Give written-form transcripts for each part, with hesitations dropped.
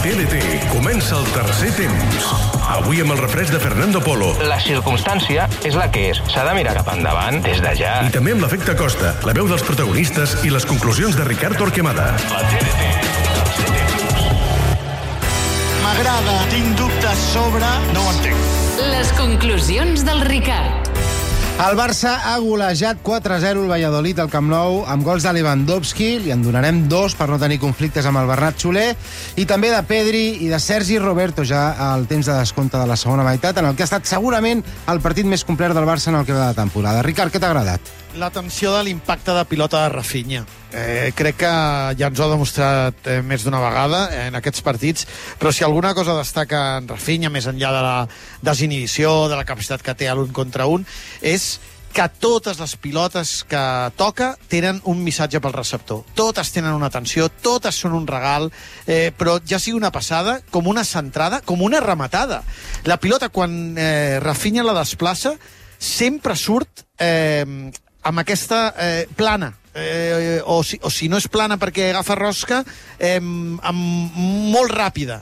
TDT comença el tercer temps. Avui amb el refresc de Fernando Polo. La circumstància és la que és. S'ha de mirar cap endavant des de ja. I també amb l'efecte Costa, la veu dels protagonistes i les conclusions de Ricard Torquemada. La TDT, tercer temps. M'agrada, tinc dubtes sobre... No ho entenc. Les conclusions del Ricard. El Barça ha golejat 4-0 el Valladolid al Camp Nou amb gols de Lewandowski, li en donarem 2 per no tenir conflictes amb el Bernat Soler, i també de Pedri i de Sergi Roberto ja al temps de descompte de la segona meitat, en el que ha estat segurament el partit més complet del Barça en el que va de temporada. Ricard, què t'ha agradat? L'atenció de l'impacte de pilota de Rafinha. Crec que ja ens ho ha demostrat més d'una vegada en aquests partits, però si alguna cosa destaca en Rafinha, més enllà de la desinhibició, de la capacitat que té a l'un contra un, és que totes les pilotes que toca tenen un missatge pel receptor. Totes tenen una atenció, totes són un regal, però ja sigui una passada, com una centrada, com una rematada. La pilota, quan Rafinha la desplaça, sempre surt amb aquesta plana, o si no és plana perquè agafa rosca, molt ràpida.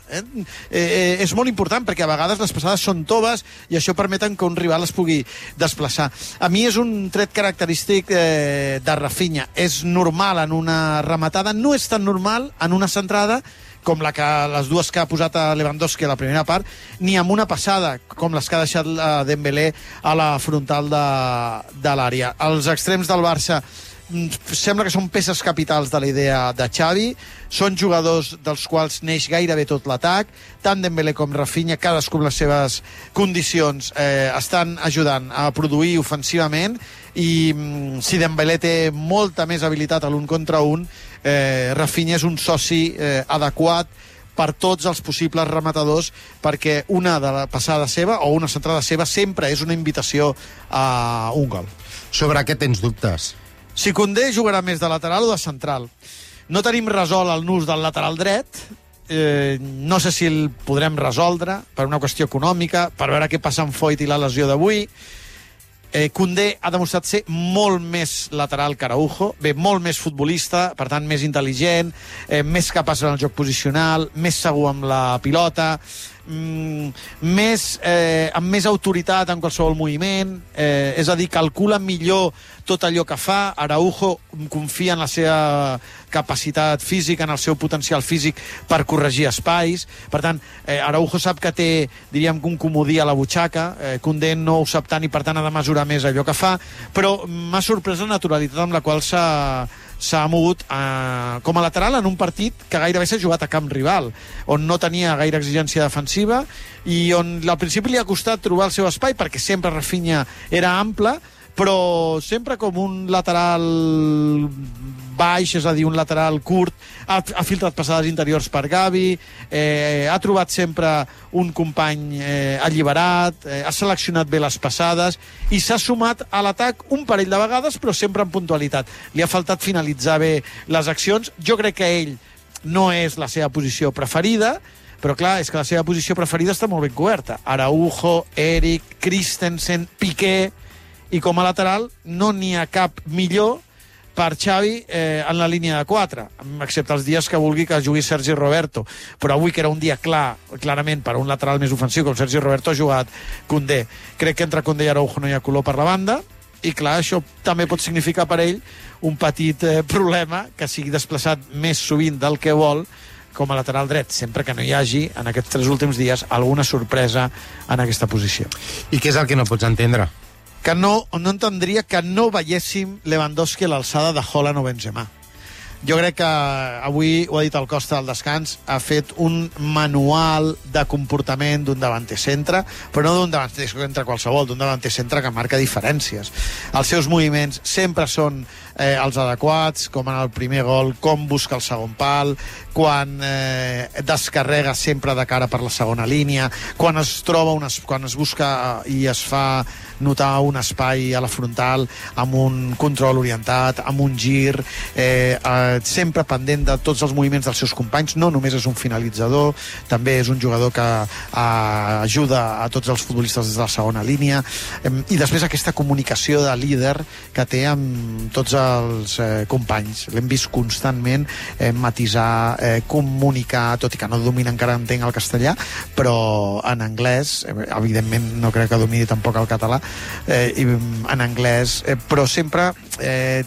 És molt important perquè a vegades les passades són toves i això permeten que un rival es pugui desplaçar. A mi és un tret característic de Rafinha. És normal en una rematada, no és tan normal en una centrada com les dues que ha posat a Lewandowski a la primera part, ni amb una passada, com les que ha deixat Dembélé a la frontal de l'àrea. Els extrems del Barça sembla que són peces capitals de la idea de Xavi, són jugadors dels quals neix gairebé tot l'atac, tant Dembélé com Rafinha, cadascú amb les seves condicions, estan ajudant a produir ofensivament, i si Dembélé té molta més habilitat a l'un contra un, Rafinha és un soci adequat per tots els possibles rematadors, perquè una de la passada seva o una centrada seva sempre és una invitació a un gol. Sobre què tens dubtes? Si Koundé jugarà més de lateral o de central. No tenim resolt el nus del lateral dret, no sé si el podrem resoldre per una qüestió econòmica, per veure què passa amb Foyt i la lesió d'avui. Koundé ha demostrat ser molt més lateral que Araujo, molt més futbolista, per tant més intel·ligent, més capaç en el joc posicional, més segur amb la pilota, amb més autoritat en qualsevol moviment, és a dir, calcula millor tot allò que fa. Araujo confia en la seva capacitat física, en el seu potencial físic per corregir espais. Per tant, Araujo sap que té, diríem, un comodí a la butxaca, Koundé no ho sap tant i per tant ha de mesurar més allò que fa, però m'ha sorprès la naturalitat amb la qual s'ha mogut com a lateral en un partit que gairebé s'ha jugat a camp rival, on no tenia gaire exigència defensiva i on al principi li ha costat trobar el seu espai, perquè sempre Rafinha era ample, però sempre com un lateral baix, és a dir, un lateral curt, ha filtrat passades interiors per Gavi, ha trobat sempre un company alliberat, ha seleccionat bé les passades i s'ha sumat a l'atac un parell de vegades, però sempre amb puntualitat. Li ha faltat finalitzar bé les accions. Jo crec que ell no és la seva posició preferida, però clar, és que la seva posició preferida està molt ben coberta. Araujo, Eric, Christensen, Piqué, i com a lateral no n'hi ha cap millor per Xavi en la línia de 4, excepte els dies que vulgui que jugui Sergi Roberto. Però avui, que era un dia clarament per un lateral més ofensiu, com Sergi Roberto, ha jugat Koundé. Crec que entre Koundé i Araujo no hi ha color per la banda, i clar, això també pot significar per ell un petit problema, que sigui desplaçat més sovint del que vol com a lateral dret, sempre que no hi hagi, en aquests 3 últims dies, alguna sorpresa en aquesta posició. I què és el que no pots entendre? Que no entendria que no veiéssim Lewandowski a l'alçada de Haaland o Benzema. Jo crec que avui, ho ha dit el Costa al descans, ha fet un manual de comportament d'un davanter centre, però no d'un davanter centre qualsevol, d'un davanter centre que marca diferències. Els seus moviments sempre són els adequats, com en el primer gol, com busca el segon pal, quan descarrega sempre de cara per la segona línia, quan es troba, quan es busca i es fa notar un espai a la frontal amb un control orientat, amb un gir, sempre pendent de tots els moviments dels seus companys. No només és un finalitzador, també és un jugador que ajuda a tots els futbolistes des de la segona línia, i després aquesta comunicació de líder que té amb tots els companys. L'hem vist constantment matisar, comunicar, tot i que no domina encara, entenc, el castellà, però en anglès, evidentment no crec que domini tampoc el català, en anglès, però sempre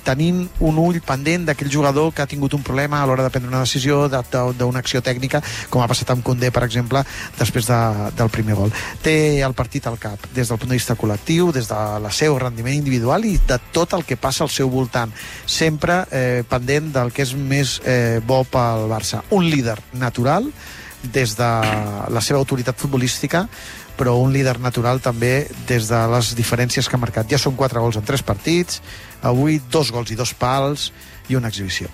tenint un ull pendent d'aquell jugador que ha tingut un problema a l'hora de prendre una decisió, d'una acció tècnica, com ha passat amb Koundé, per exemple, després del primer gol. Té el partit al cap, des del punt de vista col·lectiu, des del seu rendiment individual i de tot el que passa al seu voltant, sempre pendent del que és més bo pel Barça. Un líder natural des de la seva autoritat futbolística, però un líder natural també des de les diferències que ha marcat. Ja són 4 gols en 3 partits, avui 2 gols i 2 pals i una exhibició.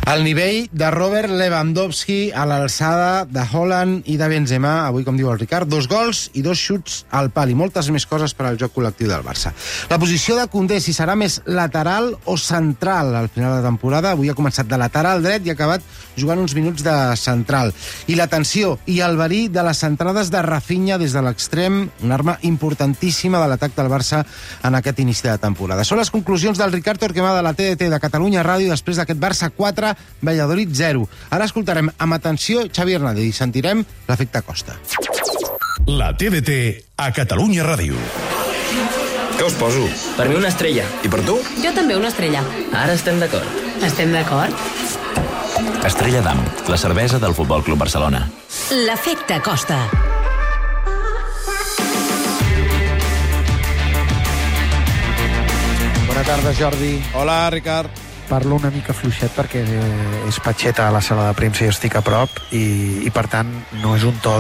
El nivell de Robert Lewandowski a l'alçada de Haaland i de Benzema, avui, com diu el Ricard, 2 gols i 2 xuts al pal i moltes més coses per al joc col·lectiu del Barça. La posició de Koundé, si serà més lateral o central al final de temporada, avui ha començat de lateral dret i ha acabat jugant uns minuts de central. I la tensió i el verí de les centrades de Rafinha des de l'extrem, una arma importantíssima de l'atac del Barça en aquest inici de temporada. Són les conclusions del Ricard Torquemada de la TDT de Catalunya Ràdio després d'aquest Barça 4, Valladolid 0. Ara escoltarem amb atenció Xavi Hernández i sentirem l'efecte Costa. La TDT a Catalunya Ràdio. Què us poso? Per mi una estrella. I per tu? Jo també una estrella. Ara estem d'acord. Estem d'acord? Estrella d'Am, la cervesa del Futbol Club Barcelona. L'efecte Costa. Bona tarda, Jordi. Hola, Ricard. Parlo una mica fluixet perquè és Patxeta a la sala de premsa i estic a prop i per tant no és un to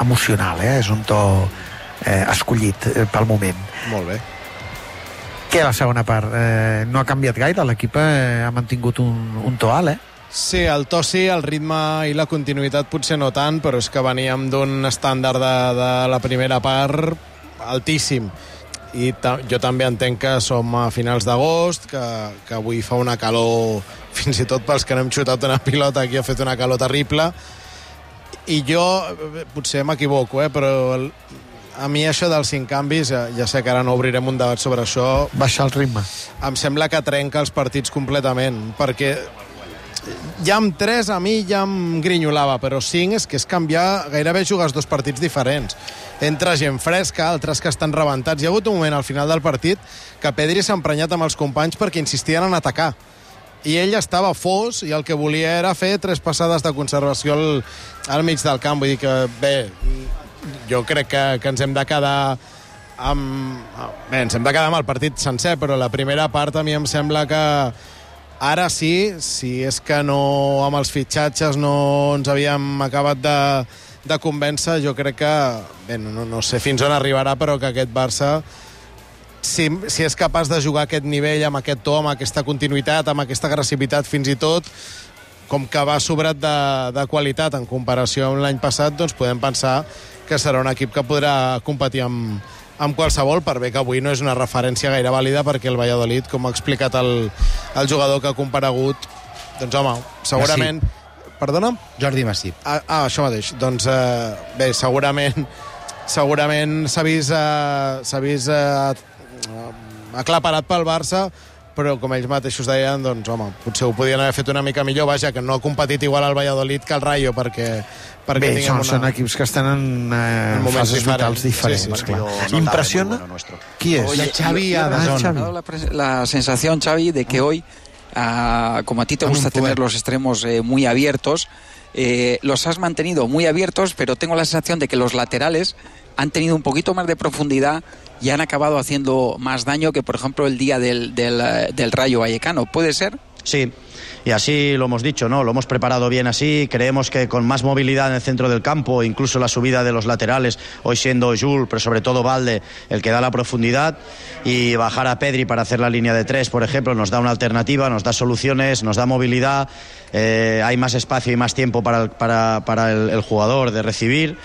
emocional, és un to escollit pel moment. Molt bé. Què, la segona part? No ha canviat gaire? L'equip ha mantingut un to alt, Sí, el to sí, el ritme i la continuïtat potser no tant, però és que veníem d'un estàndard de la primera part altíssim. I jo també entenc que som a finals d'agost, que avui fa una calor, fins i tot pels que no hem xutat una pilota, aquí ha fet una calor terrible, i jo potser m'equivoco, però a mi això dels 5 canvis, ja sé que ara no obrirem un debat sobre això, baixar el ritme. Em sembla que trenca els partits completament, perquè ja amb 3 a mi ja em grinyolava, però 5 és canviar, gairebé jugues 2 partits diferents. Entra gent fresca, altres que estan rebentats. Hi ha hagut un moment al final del partit que Pedri s'ha emprenyat amb els companys perquè insistien en atacar. I ell estava fos i el que volia era fer 3 passades de conservació al mig del camp. Vull dir que, bé, jo crec que ens hem de quedar ens hem de quedar amb el partit sencer, però la primera part a mi em sembla que ara sí, si és que no amb els fitxatges no ens havíem acabat de convèncer, jo crec que bé, no sé fins on arribarà, però que aquest Barça si és capaç de jugar a aquest nivell, amb aquest to, amb aquesta continuïtat, amb aquesta agressivitat fins i tot, com que va sobrat de qualitat en comparació amb l'any passat, doncs podem pensar que serà un equip que podrà competir amb qualsevol, per bé que avui no és una referència gaire vàlida, perquè el Valladolid, com ha explicat el jugador que ha comparegut, doncs home, segurament... Massip. Perdona? Jordi Massip. Això mateix. Doncs bé, segurament s'ha vist aclaparat pel Barça, però com ells mateixos deien, doncs home, potser ho podien haver fet una mica millor, vaja, que no ha competit igual el Valladolid que el Rayo, perquè bé, són equips que estan en fases vitals diferents, sí. Clar. ¿Impresiona? Qui és? Xavi Adazón. La sensación, Xavi, de que hoy, como a ti te gusta tener los extremos muy abiertos, los has mantenido muy abiertos, pero tengo la sensación de que los laterales han tenido un poquito más de profundidad y han acabado haciendo más daño que, por ejemplo, el día del Rayo Vallecano. ¿Puede ser? Sí, y así lo hemos dicho, ¿no? Lo hemos preparado bien así. Creemos que con más movilidad en el centro del campo, incluso la subida de los laterales, hoy siendo Jules, pero sobre todo Valde, el que da la profundidad, y bajar a Pedri para hacer la línea de 3, por ejemplo, nos da una alternativa, nos da soluciones, nos da movilidad, hay más espacio y más tiempo para el jugador de recibir.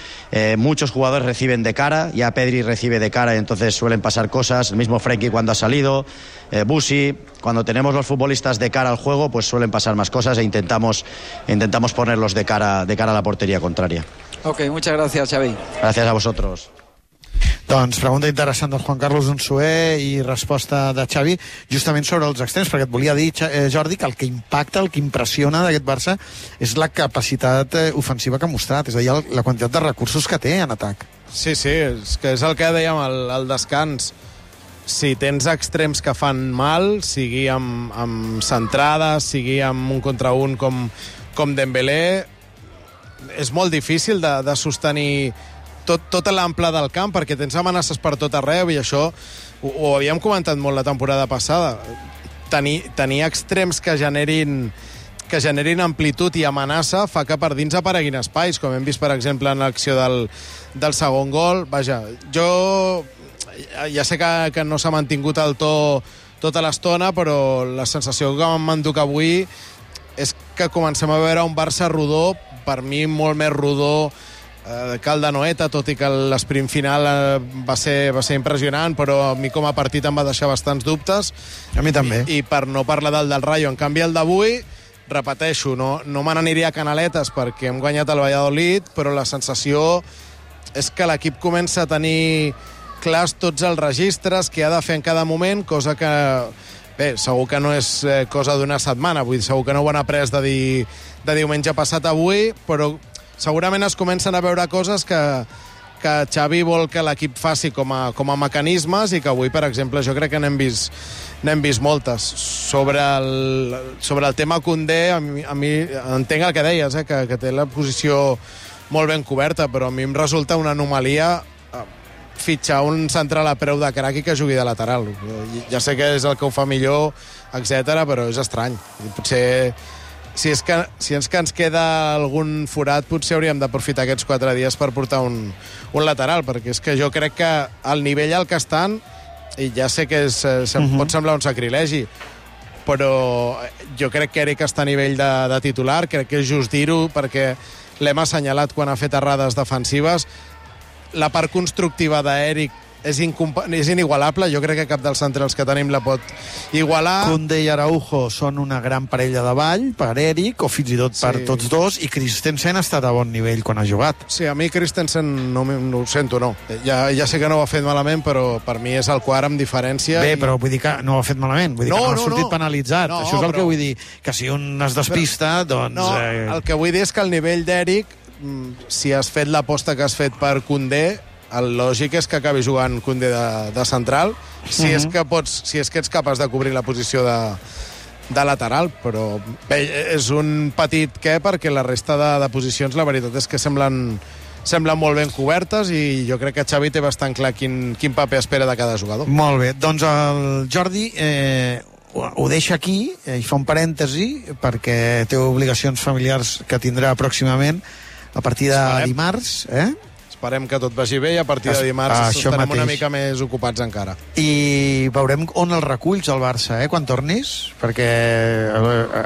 Muchos jugadores reciben de cara, ya Pedri recibe de cara y entonces suelen pasar cosas. El mismo Frenkie cuando ha salido, Busi. Cuando tenemos los futbolistas de cara al juego, pues suelen pasar más cosas e intentamos ponerlos de cara a la portería contraria. Ok, muchas gracias, Xavi. Gracias a vosotros. Doncs pregunta interessant del Juan Carlos Unzué i resposta de Xavi justament sobre els extrems, perquè et volia dir, Jordi, que el que impacta, el que impressiona d'aquest Barça és la capacitat ofensiva que ha mostrat, és a dir, la quantitat de recursos que té en atac. Sí, és el que dèiem al descans. Si tens extrems que fan mal, sigui amb centrades, sigui amb un contra un com Dembélé, és molt difícil de sostenir tota l'ample del camp, perquè tens amenaces per tot arreu, i això ho havíem comentat molt la temporada passada. Tenir extrems que generin amplitud i amenaça fa que per dins apareguin espais, com hem vist, per exemple, en l'acció del segon gol. Vaja, jo ja sé que no s'ha mantingut el to tota l'estona, però la sensació que m'enduc avui és que comencem a veure un Barça rodó, per mi molt més rodó que el de Noeta, tot i que l'esprint final va ser impressionant, però a mi com a partit em va deixar bastants dubtes. A mi també. I per no parlar del Rayo. En canvi, el d'avui, repeteixo, no me n'aniria a canaletes perquè hem guanyat el Valladolid, però la sensació és que l'equip comença a tenir clars tots els registres que ha de fer en cada moment, cosa que, bé, segur que no és cosa d'una setmana, vull dir, segur que no ho han après de diumenge passat a avui, però segurament es comencen a veure coses que Xavi vol que l'equip faci com a mecanismes, i que avui, per exemple, jo crec que n'hem vist moltes. Sobre el tema Koundé, a mi entenc el que deies, que té la posició molt ben coberta, però a mi em resulta una anomalia fitxar un central a preu de crac i que jugui de lateral. Ja sé que és el que ho fa millor, etc., però és estrany. Potser si ens queda algun forat, potser hauríem d'aprofitar aquests 4 dies per portar un lateral, perquè és que jo crec que al nivell al que estan, i ja sé que pot semblar un sacrilegi, però jo crec que Eric està a nivell de titular, crec que és just dir-ho, perquè l'hem assenyalat quan ha fet errades defensives. La part constructiva d'Eric és inigualable, jo crec que cap dels centrals que tenim la pot igualar. Koundé i Araujo són una gran parella de ball per Eric, o fins i tot per tots dos, i Christensen ha estat a bon nivell quan ha jugat. Sí, a mi Christensen no ho sento, no. Ja sé que no ho ha fet malament, però per mi és el quart amb diferència. Bé, però vull dir que no ho ha fet malament, vull dir que no ha sortit penalitzat. Això és el que vull dir, que si un es despista, doncs... No, el que vull dir és que el nivell d'Eric, si has fet l'aposta que has fet per Koundé, el lògic és que acabi jugant Koundé de central, si és que ets capaç de cobrir la posició de lateral, però bé, és un petit perquè la resta de posicions la veritat és que semblen molt ben cobertes, i jo crec que Xavi té bastant clar quin paper espera de cada jugador. Molt bé, doncs el Jordi ho deixa aquí i fa un parèntesi perquè té obligacions familiars que tindrà pròximament a partir de dimarts, Esperem que tot vagi bé, i a partir de dimarts estarem una mica més ocupats encara. I veurem on el reculls el Barça, quan tornis, perquè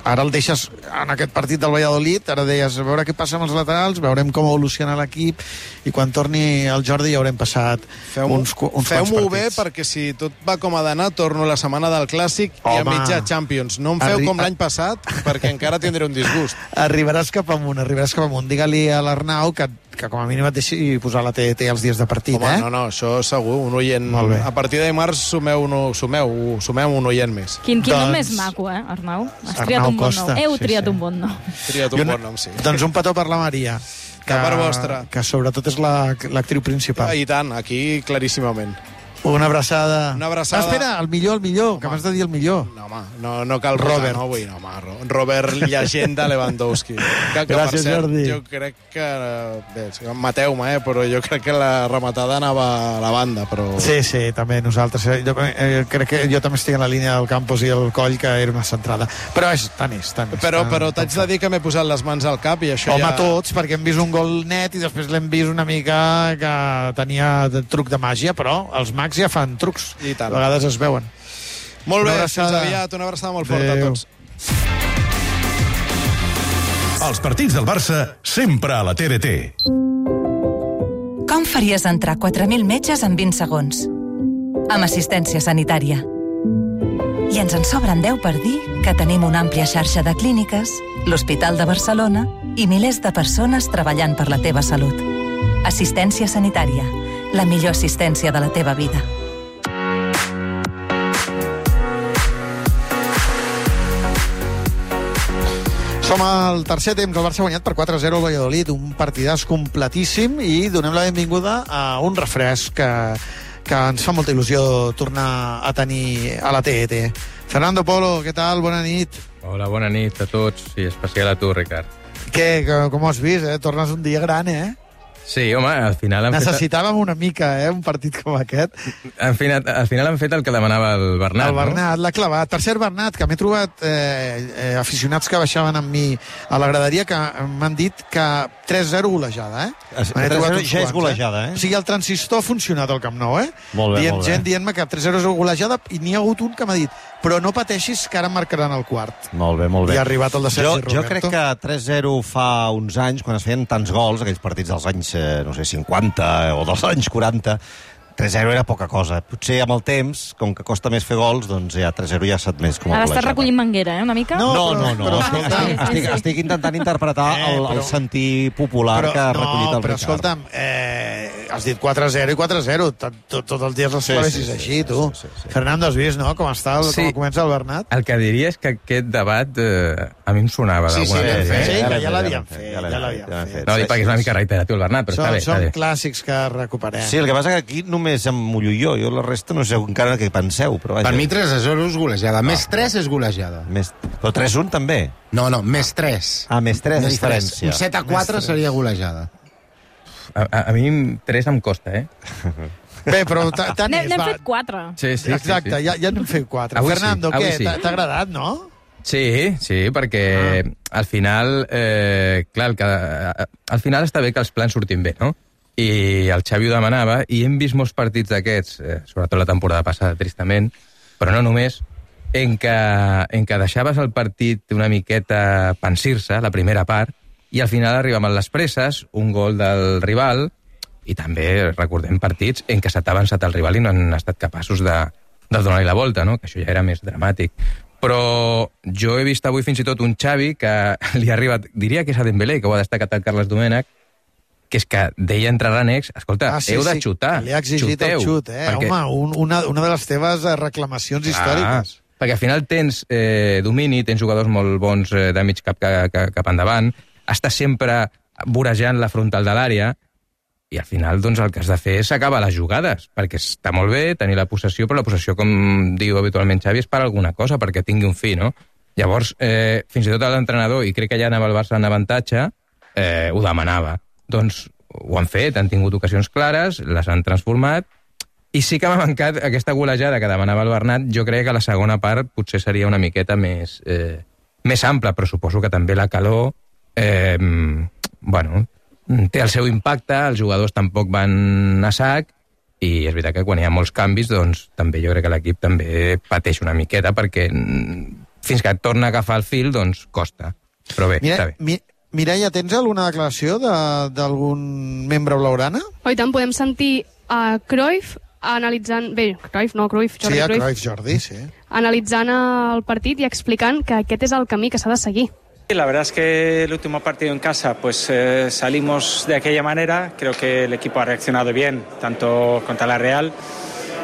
ara el deixes en aquest partit del Valladolid, ara deies, a veure què passa amb els laterals, veurem com evoluciona l'equip, i quan torni el Jordi ja haurem passat uns quants partits. Feu-m'ho bé, perquè si tot va com ha d'anar, torno la setmana del Clàssic i a mitja Champions. No em feu com l'any passat, perquè encara tindré un disgust. Arribaràs cap amunt. Digue-li a l'Arnau que com a mínim et deixi posar la TDT els dies de partit. Home, no, això segur, un oient. A partir de dimarts sumeu un oient més. Quin nom més maco, Arnau? Has triat un bon nom. Heu triat un bon nom. Triat un bon nom, sí. Doncs un petó per la Maria. Que per vostra. Que sobretot és l'actriu principal. I tant, aquí claríssimament. Una abraçada. Una abraçada. Espera, el millor, que m'has de dir el millor. No, home, no cal Robert. No avui, no, home. Robert, llegenda Lewandowski. Gràcies, Jordi. Jo crec que... Bé, mateu-me, però jo crec que la rematada anava a la banda, però... Sí, també, nosaltres. Jo crec que jo també estic en la línia del Campos i el Coll, que era una centrada. Però tant és. Però t'haig de dir que m'he posat les mans al cap i això Home, tots, perquè hem vist un gol net i després l'hem vist una mica que tenia truc de màgia, però els mags ja fan trucs. I tant. A vegades es veuen. Molt bé, fins aviat. Una abraçada molt forta a tots. Els partits del Barça sempre a la TDT. Com faries entrar 4.000 metges en 20 segons? Amb assistència sanitària. I ens en sobren 10 per dir que tenim una àmplia xarxa de clíniques, l'Hospital de Barcelona i milers de persones treballant per la teva salut. Assistència sanitària. La millor assistència de la teva vida. Som al tercer temps. El Barça ha guanyat per 4-0 al Valladolid. Un partidàs completíssim i donem la benvinguda a un refresc que ens fa molta il·lusió tornar a tenir a la TET. Fernando Polo, què tal? Bona nit. Hola, bona nit a tots i especial a tu, Ricard. Què, com ho has vist, Tornes un dia gran, Sí, home, al final... Necessitàvem una mica, un partit com aquest. Al final han fet el que demanava el Bernat, El Bernat, l'ha clavat. Per cert, Bernat, que m'he trobat aficionats que baixaven amb mi a la graderia que m'han dit que 3-0 golejada, 3-0 ja és golejada, O sigui, el transistor ha funcionat al Camp Nou, Molt bé, molt bé. Gent dient-me que 3-0 és golejada i n'hi ha hagut un que m'ha dit però no pateixis que ara marcaran el quart. Molt bé, molt bé. I ha arribat el de Sergi Roberto. Jo crec que 3-0 fa uns anys, quan es feien tants gols, aquells partits dels anys, 50 o dels anys 40, 3-0 era poca cosa. Potser amb el temps, com que costa més fer gols, doncs ja 3-0 ja s'ha admès com a Ara golejada. estàs recollint manguera, una mica? No. Estic intentant interpretar el sentir popular que ha recollit el Ricard. Però escolta'm, has dit 4-0 i 4-0. Tots els dies les clavessis així, tu. Fernando, has vist, no?, com està, com comença el Bernat? El que diria és que aquest debat a mi em sonava d'alguna manera. Sí, que ja l'havíem fet. No, dic perquè és una mica reiteratiu el Bernat, però està bé. Són clàssics que recuperem. Sí, el que passa que aquí només em mullo jo la resta no sé encara què penseu, però vaja. Per mi 3-0 és golejada, més 3 és golejada. Però 3-1 també? No, més 3. Més 3 de diferència. Un 7-4 seria golejada. A mi 3 em costa, Bé, però tant és. N'hem fet 4. Sí. Exacte, ja n'hem fet 4. Fernando, què? T'ha agradat, no? Sí, perquè al final, clar, al final està bé que els plans surtin bé, no? I el Xavi ho demanava, i hem vist molts partits d'aquests, sobretot la temporada passada, tristament, però no només, en què deixaves el partit una miqueta pensir-se, la primera part, i al final arribàvem a les presses, un gol del rival, i també recordem partits en què s'ha avançat el rival i no han estat capaços de donar-li la volta, no? Que això ja era més dramàtic. Però jo he vist avui fins i tot un Xavi que li ha arribat, diria que és a Dembélé, que ho ha destacat el Carles Domènech, que és que deia entre Ranecs, escolta, heu de xutar. Li ha exigit el xut, perquè... Home, una de les teves reclamacions històriques. Perquè al final tens domini, tens jugadors molt bons de mig cap endavant, estàs sempre vorejant la frontal de l'àrea, i al final doncs, el que has de fer és acabar les jugades, perquè està molt bé tenir la possessió, però la possessió, com diu habitualment Xavi, és per alguna cosa, perquè tingui un fi, no? Llavors, fins i tot l'entrenador, i crec que ja anava el Barça en avantatge, ho demanava. Doncs ho han fet, han tingut ocasions clares, les han transformat, i sí que m'ha mancat aquesta golejada que demanava el Bernat. Jo crec que la segona part potser seria una miqueta més ampla, però suposo que també la calor té el seu impacte, els jugadors tampoc van a sac, i és veritat que quan hi ha molts canvis, doncs també jo crec que l'equip també pateix una miqueta, perquè fins que et torna a agafar el fil, doncs costa. Però bé, està bé. Mireia, tens alguna declaració d'algun membre blaugrana? I tant, podem sentir a Cruyff analitzant... Bé, Cruyff, Jordi, sí. Analitzant el partit y explicant que aquest és el camí que s'ha de seguir. La verdad es que el último partido en casa pues salimos de aquella manera. Creo que el equipo ha reaccionado bien, tanto contra la Real,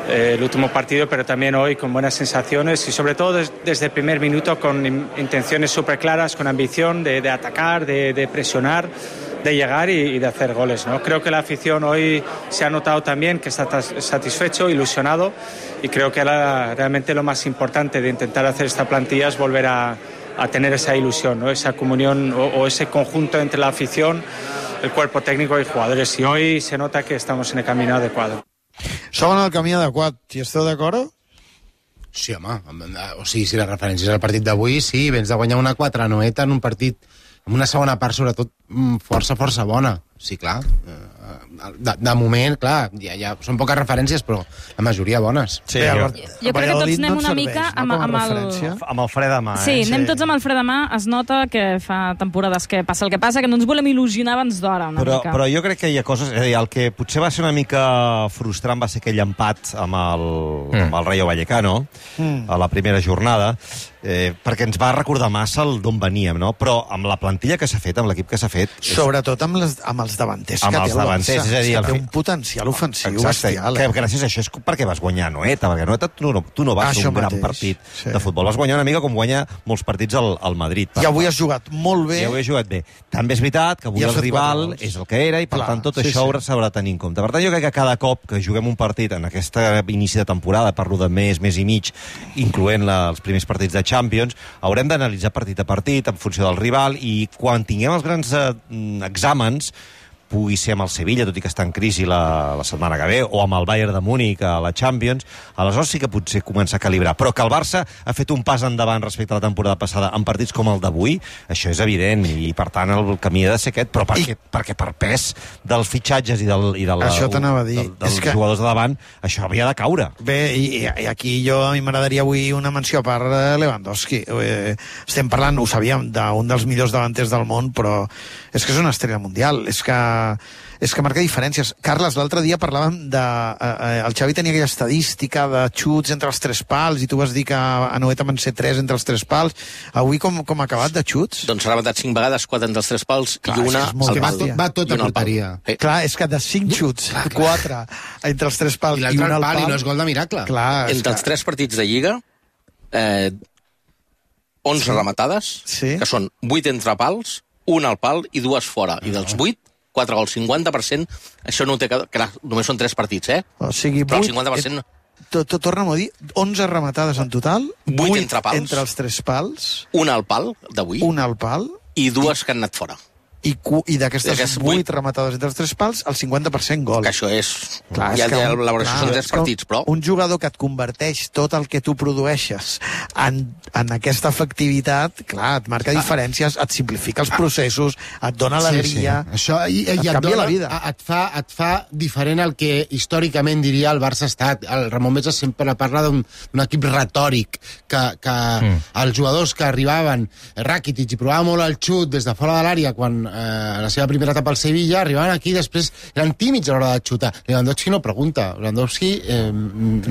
el último partido, pero también hoy con buenas sensaciones y sobre todo desde el primer minuto con intenciones súper claras, con ambición de atacar, de presionar. de llegar y de hacer goles, ¿no? Creo que la afición hoy se ha notado también que está satisfecho, ilusionado, y creo que realmente lo más importante de intentar hacer esta plantilla es volver a tener esa ilusión, ¿no? Esa comunión o ese conjunto entre la afición, el cuerpo técnico y jugadores, y hoy se nota que estamos en el camino adecuado. Som en el camí adequat. Hi esteu d'acord? Sí, home. O sigui, si la referència és al partit d'avui, sí, vens de guanyar una 4-9 en un partit amb una segona part, sobretot, força bona. Sí, clar. De moment, clar, ja són poques referències, però la majoria bones. Sí, jo crec que tots anem una mica amb el fre de mà. Sí, anem tots amb el fre de mà. Es nota que fa temporades que passa el que passa, que no ens volem il·lusionar abans d'hora una mica. Però jo crec que hi ha coses... És a dir, el que potser va ser una mica frustrant va ser aquell empat amb el Rayo Vallecano a la primera jornada, perquè ens va recordar massa d'on veníem, no? Però amb la plantilla que s'ha fet, amb l'equip que s'ha fet... Sobretot amb els davanters que té el Barça. És a dir, té un potencial ofensiu bestial. Que gràcies a això és perquè vas guanyar Anoeta, perquè Anoeta tu no vas fer un gran partit de futbol. Vas guanyar una mica com guanya molts partits al Madrid. I avui has jugat molt bé. I avui has jugat bé. També és veritat que avui el rival és el que era i, per tant, tot això s'haurà de tenir en compte. Per tant, jo crec que cada cop que juguem un partit en aquest inici de temporada, parlo de mes i mig, incloent els primers partits de Champions, haurem d'analitzar partit a partit en funció del rival, i quan tinguem els grans exàmens, pugui ser amb el Sevilla, tot i que està en crisi la setmana que ve, o amb el Bayern de Múnich a la Champions, aleshores sí que potser comença a calibrar. Però que el Barça ha fet un pas endavant respecte a la temporada passada en partits com el d'avui, això és evident, i per tant el camí ha de ser aquest, però perquè per pes dels fitxatges i dels jugadors de davant, això havia de caure. Bé, i aquí a mi m'agradaria avui una menció a part de Lewandowski. Estem parlant, ho sabíem, d'un dels millors davanters del món, però és que és una estrella mundial, és que marca diferències. Carles, l'altre dia parlàvem el Xavi tenia aquella estadística de xuts entre els 3 pals, i tu vas dir que a Anoeta van ser 3 entre els 3 pals. Avui com ha acabat de xuts? Doncs s'ha rematat 5 vegades, 4 entre els 3 pals i una al pal. Va tot a porteria. Clar, és que de 5 xuts, 4 entre els 3 pals i una al pal. I no és gol de miracle. Entre els 3 partits de Lliga, 11 rematades, que són 8 entre pals, una al pal i 2 fora. I dels 8, 4 gols, 50%, això no ho té... Clar, només són 3 partits, O sigui, però el 50%... Torna'm a dir, 11 rematades en total, 8 entre pals, entre els 3 pals, una al pal d'avui, una al pal, i 2 que han anat fora. I d'aquestes 8 rematades entre els 3 pals, el 50% gol. Que això és... Clar, ja la valoració són 3 partits, però... Un jugador que et converteix tot el que tu produeixes en aquesta efectivitat, clar, et marca diferències, et simplifica els processos, et dona alegria, això, et canvia la vida. Et fa diferent el que històricament diria el Barça ha estat. El Ramon Besa sempre parla d'un equip retòric, que els jugadors que arribaven, Rakitic, i provava molt el xut des de fora de l'àrea quan la seva primera etapa al Sevilla, arribaven aquí i després eren tímids a l'hora de xutar. Lewandowski no pregunta, Lewandowski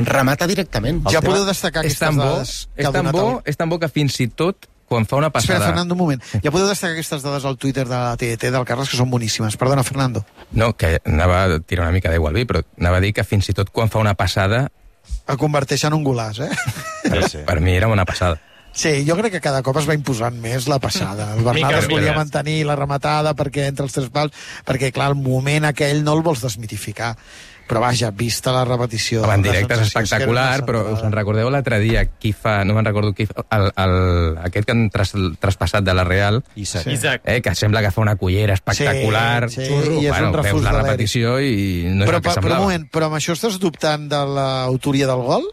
remata directament. Ja podeu destacar aquestes dades que ha donat... És tan bo que fins i tot quan fa una passada... Espera, Fernando, un moment. Ja podeu destacar aquestes dades al Twitter de la TDT del Carles, que són boníssimes. Perdona, Fernando. No, que anava a tirar una mica d'aigua al vi, però anava a dir que fins i tot quan fa una passada... El converteix en un golaç, Per mi era una passada. Sí, jo crec que cada cop es va imposant més la passada. El Bernat es volia mantenir la rematada perquè entre els 3 pals, perquè clar, el moment aquell no el vols desmitificar. Però vaja, vista la repetició... En directe és espectacular, però us en recordeu l'altre dia qui fa, no me'n recordo qui fa, aquest que han traspassat de la Real, Isaac. Que sembla que fa una cullera espectacular. Sí, i és un refús veus la repetició i no és el que semblava. Però un moment, però amb això estàs dubtant de l'autoria del gol?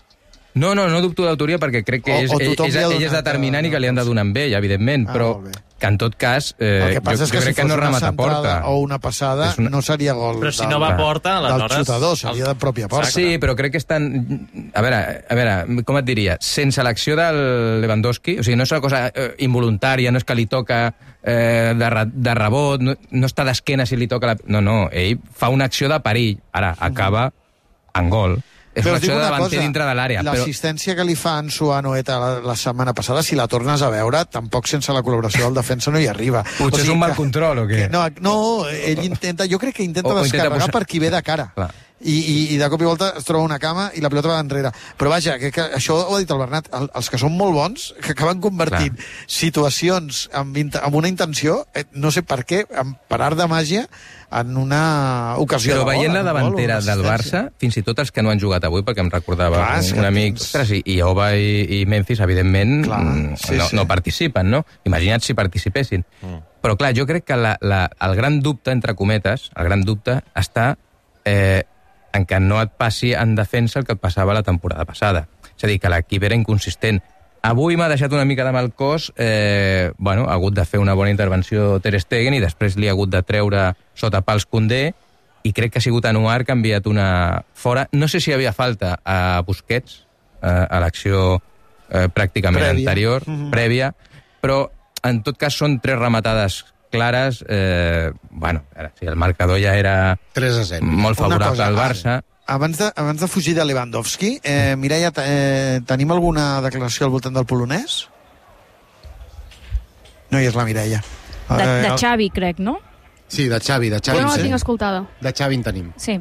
No dubto d'autoria perquè crec que ell és determinant i que li han de donar amb ell, evidentment, però que en tot cas el que passa és que jo crec que no remata a porta. O una passada no seria gol però si no va a porta, del xutador, seria de pròpia porta. Sí, però crec que estan... A veure, com et diria? Sense l'acció del Lewandowski, o sigui, no és una cosa involuntària, no és que li toca de rebot, no està d'esquena si li toca... No, ell fa una acció de perill, ara acaba en gol. És una acció de davanter dintre de l'àrea. L'assistència que li fa Ansu a Anoeta la setmana passada, si la tornes a veure, tampoc sense la col·laboració del defensa no hi arriba. Potser és un mal control, o què? No, ell intenta, jo crec que intenta descarregar per qui ve de cara. i de cop i volta es troba una cama i la pilota va enrere. Però vaja, que això ho ha dit el Bernat, els que són molt bons, que acaben convertint situacions amb una intenció, no sé per què, per art de màgia, en una ocasió però de veient gol, la davantera del Barça, fins i tot els que no han jugat avui, perquè em recordava un amic, ostres, i Oba i Memphis, evidentment, no participen, no? Imagina't si participessin. Però clar, jo crec que el gran dubte, entre cometes, el gran dubte està en què no et passi en defensa el que et passava la temporada passada. És a dir, que l'equip era inconsistent. Avui m'ha deixat una mica de mal cos, ha hagut de fer una bona intervenció Ter Stegen i després li ha hagut de treure sota pals Koundé i crec que ha sigut Anouar que ha enviat una fora. No sé si hi havia falta a Busquets, a l'acció pràcticament anterior, prèvia, però en tot cas són 3 rematades clares. El marcador ja era 3-0. Molt favorable al Barça. Abans de fugir de Lewandowski, Mireia, tenim alguna declaració al voltant del polonès? No hi és la Mireia. De Xavi, crec, no? Sí, de Xavi. Jo no la tinc escoltada. De Xavi en tenim. Sí.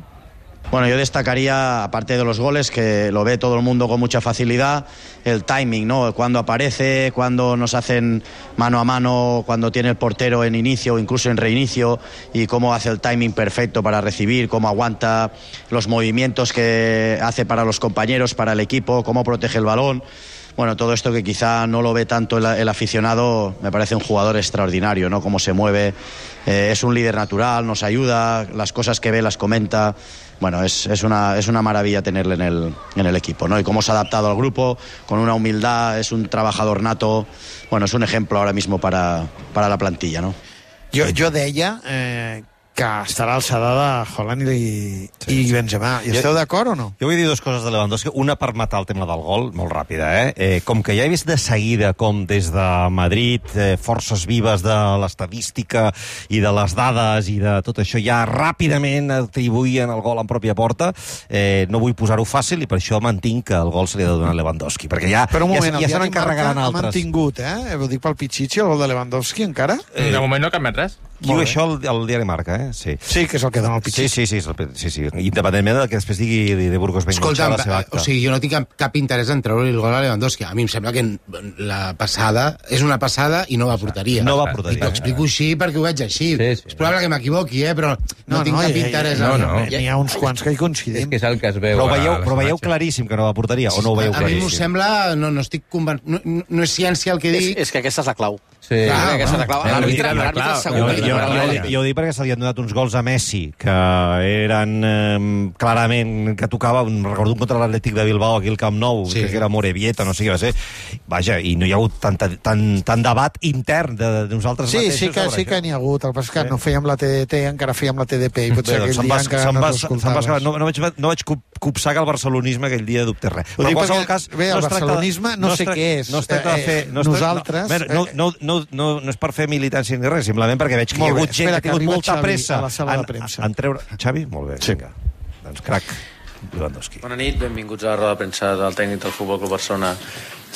Bueno, yo destacaría, aparte de los goles, que lo ve todo el mundo con mucha facilidad, el timing, ¿no? Cuando aparece, cuando nos hacen mano a mano, cuando tiene el portero en inicio o incluso en reinicio, y cómo hace el timing perfecto para recibir, cómo aguanta los movimientos que hace para los compañeros, para el equipo, cómo protege el balón. Bueno, todo esto que quizá no lo ve tanto el aficionado, me parece un jugador extraordinario, ¿no? Cómo se mueve, es un líder natural, nos ayuda, las cosas que ve las comenta. Bueno, es una maravilla tenerle en el equipo, ¿no? Y cómo se ha adaptado al grupo, con una humildad, es un trabajador nato. Bueno, es un ejemplo ahora mismo para la plantilla, ¿no? Jo deia que estarà a l'alçada de Haaland i Benzema. I esteu d'acord o no? Jo vull dir dues coses de Lewandowski. Una per matar el tema del gol, molt ràpida, com que ja he vist de seguida com des de Madrid, forces vives de l'estadística i de les dades i de tot això ja ràpidament atribuïen el gol en pròpia porta, no vull posar-ho fàcil i per això mantinc que el gol se li ha de donar a Lewandowski, perquè ja se n'encarregaran altres. Ha mantingut, ho dic pel Pichichi, el gol de Lewandowski encara? De moment no ha canviat res. Diu això el diari Marca, Sí. Sí, que és el que dona el Pichichi. Sí. Independentment del que després digui de Burgos Bengocha a la seva acta. O sigui, jo no tinc cap interès en treure el gol a Lewandowski. A mi em sembla que la passada és una passada i no va a porteria. No va a porteria. I t'ho explico així perquè ho veig així. És probable que m'equivoqui, però no tinc cap interès. Hi ha uns quants que hi coincidim. És que és el que es veu. Però veieu claríssim que no va a porteria o no ho veieu claríssim? A mi m'ho sembla, no estic convençut, no és ciència el que dic. És que aquesta és la clau. Sí. Aquesta és la clau. L'àrbitre segur. Jo ho dic perquè se li han donat uns gols a Messi que eren clarament que tocaven, recordo un contra l'Atlètic de Bilbao aquí al Camp Nou, que era Morevieta, no sé què va ser. Vaja, i no hi ha hagut tant debat intern de nosaltres mateixos. Sí que n'hi ha hagut, el que passa és que no fèiem la TDT, encara fèiem la TDP, i potser aquell dia encara no t'escoltaves. No vaig copsar que el barcelonisme aquell dia dubtés res. Bé, el barcelonisme no sé què és. Nosaltres... No és per fer militància ni res, simplement perquè veig que hi ha hagut gent que ha tingut molta pressa en treure... Xavi? Molt bé, vinga. Doncs crac, Lewandowski. Bona nit, benvinguts a la roda de premsa del tècnic del Futbol Club Barcelona,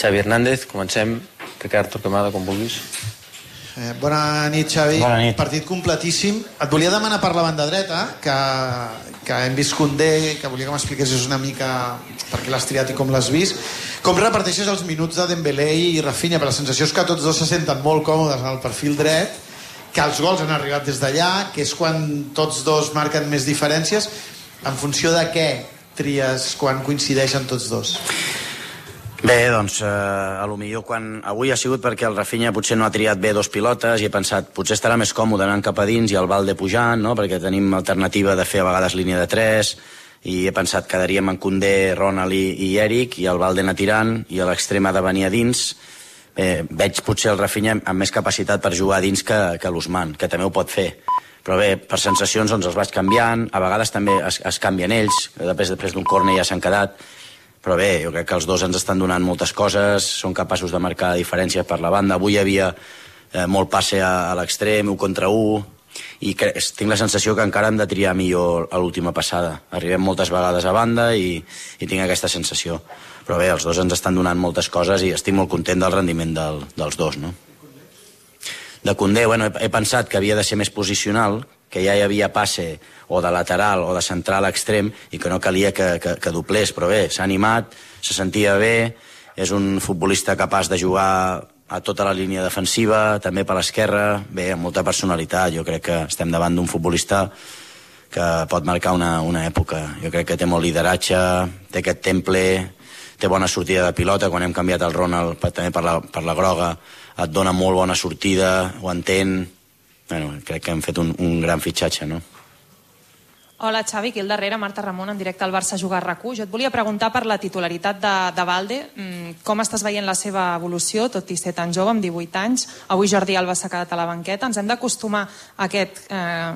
Xavi Hernández. Comencem. Ricard Torquemada, com vulguis. Bona nit, Xavi. Bona nit. Partit completíssim. Et volia demanar per la banda dreta, que hem vist Koundé, que volia que m'expliquessis una mica per què l'has triat i com l'has vist. Com reparteixes els minuts de Dembélé i Rafinha? Per la sensació és que tots dos se senten molt còmodes al perfil dret, que els gols han arribat des d'allà, que és quan tots dos marquen més diferències. En funció de què tries quan coincideixen tots dos? Bé, doncs, a lo millor avui ha sigut perquè el Rafinha potser no ha triat bé dos pilotes i he pensat, potser estarà més còmode anant cap a dins i el Valde pujant, no? Perquè tenim alternativa de fer a vegades línia de 3 i he pensat que quedaríem en Koundé, Ronald i Eric i el Valde anar tirant i a l'extrem ha de venir a dins. Veig potser el Rafinha amb més capacitat per jugar a dins que l'Ousmane, que també ho pot fer. Però bé, per sensacions doncs els vaig canviant, a vegades també es canvien ells, després d'un córner ja s'han quedat. Però bé, jo crec que els dos ens estan donant moltes coses, són capaços de marcar diferències per la banda. Avui hi havia molt passe a l'extrem, 1 contra 1, i tinc la sensació que encara hem de triar millor a l'última passada. Arribem moltes vegades a banda i tinc aquesta sensació. Però bé, els dos ens estan donant moltes coses i estic molt content del rendiment dels dos, no? De Koundé, bueno, he pensat que havia de ser més posicional, que ja hi havia passe o de lateral o de central a extrem i que no calia que doblés, però bé, s'ha animat, se sentia bé, és un futbolista capaç de jugar a tota la línia defensiva, també per l'esquerra, bé, amb molta personalitat. Jo crec que estem davant d'un futbolista que pot marcar una època. Jo crec que té molt lideratge, té aquest temple, té bona sortida de pilota. Quan hem canviat el Ronald també per la groga, et dona molt bona sortida, ho entén. Bueno, crec que hem fet un gran fitxatge, no? Hola, Xavi, aquí al darrere, Marta Ramon, en directe al Barça Jugar RAC1. Jo et volia preguntar per la titularitat de Balde. Com estàs veient la seva evolució, tot i ser tan jove, amb 18 anys? Avui Jordi Alba s'ha quedat a la banqueta. Ens hem d'acostumar a aquest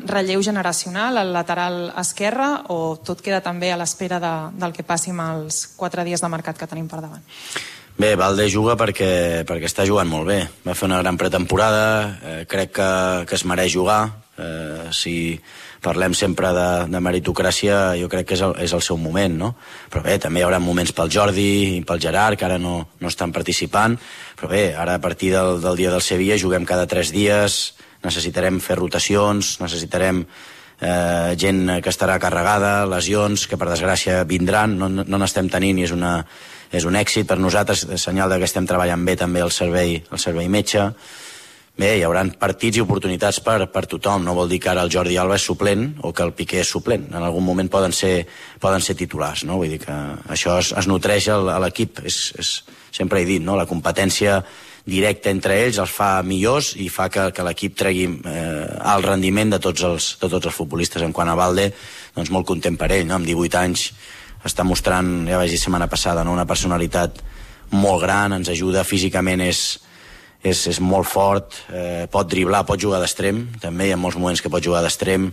relleu generacional al lateral esquerre o tot queda també a l'espera del que passi amb els 4 dies de mercat que tenim per davant? Bé, Balde juga perquè està jugant molt bé. Va fer una gran pretemporada, crec que es mereix jugar. Si parlem sempre de meritocràcia, jo crec que és el seu moment, no? Però bé, també hi haurà moments pel Jordi i pel Gerard, que ara no estan participant, però bé, ara a partir del dia del Sevilla juguem cada 3 dies, necessitarem fer rotacions, necessitarem gent que estarà carregada, lesions, que per desgràcia vindran, no n'estem tenint i és un èxit per nosaltres, senyal que estem treballant bé també el servei metge. Bé, hi haurà partits i oportunitats per tothom. No vol dir que ara el Jordi Alba és suplent o que el Piqué és suplent. En algun moment poden ser titulars, no? Vull dir que això es nutreix a l'equip. Sempre he dit, no? La competència directa entre ells els fa millors i fa que l'equip tregui alt rendiment de tots els futbolistes. En quant a Balde, doncs molt content per ell, no? Amb 18 anys està mostrant, ja vaig dir setmana passada, no? Una personalitat molt gran, ens ajuda físicament, és molt fort, pot driblar, pot jugar d'extrem, també hi ha molts moments que pot jugar d'extrem,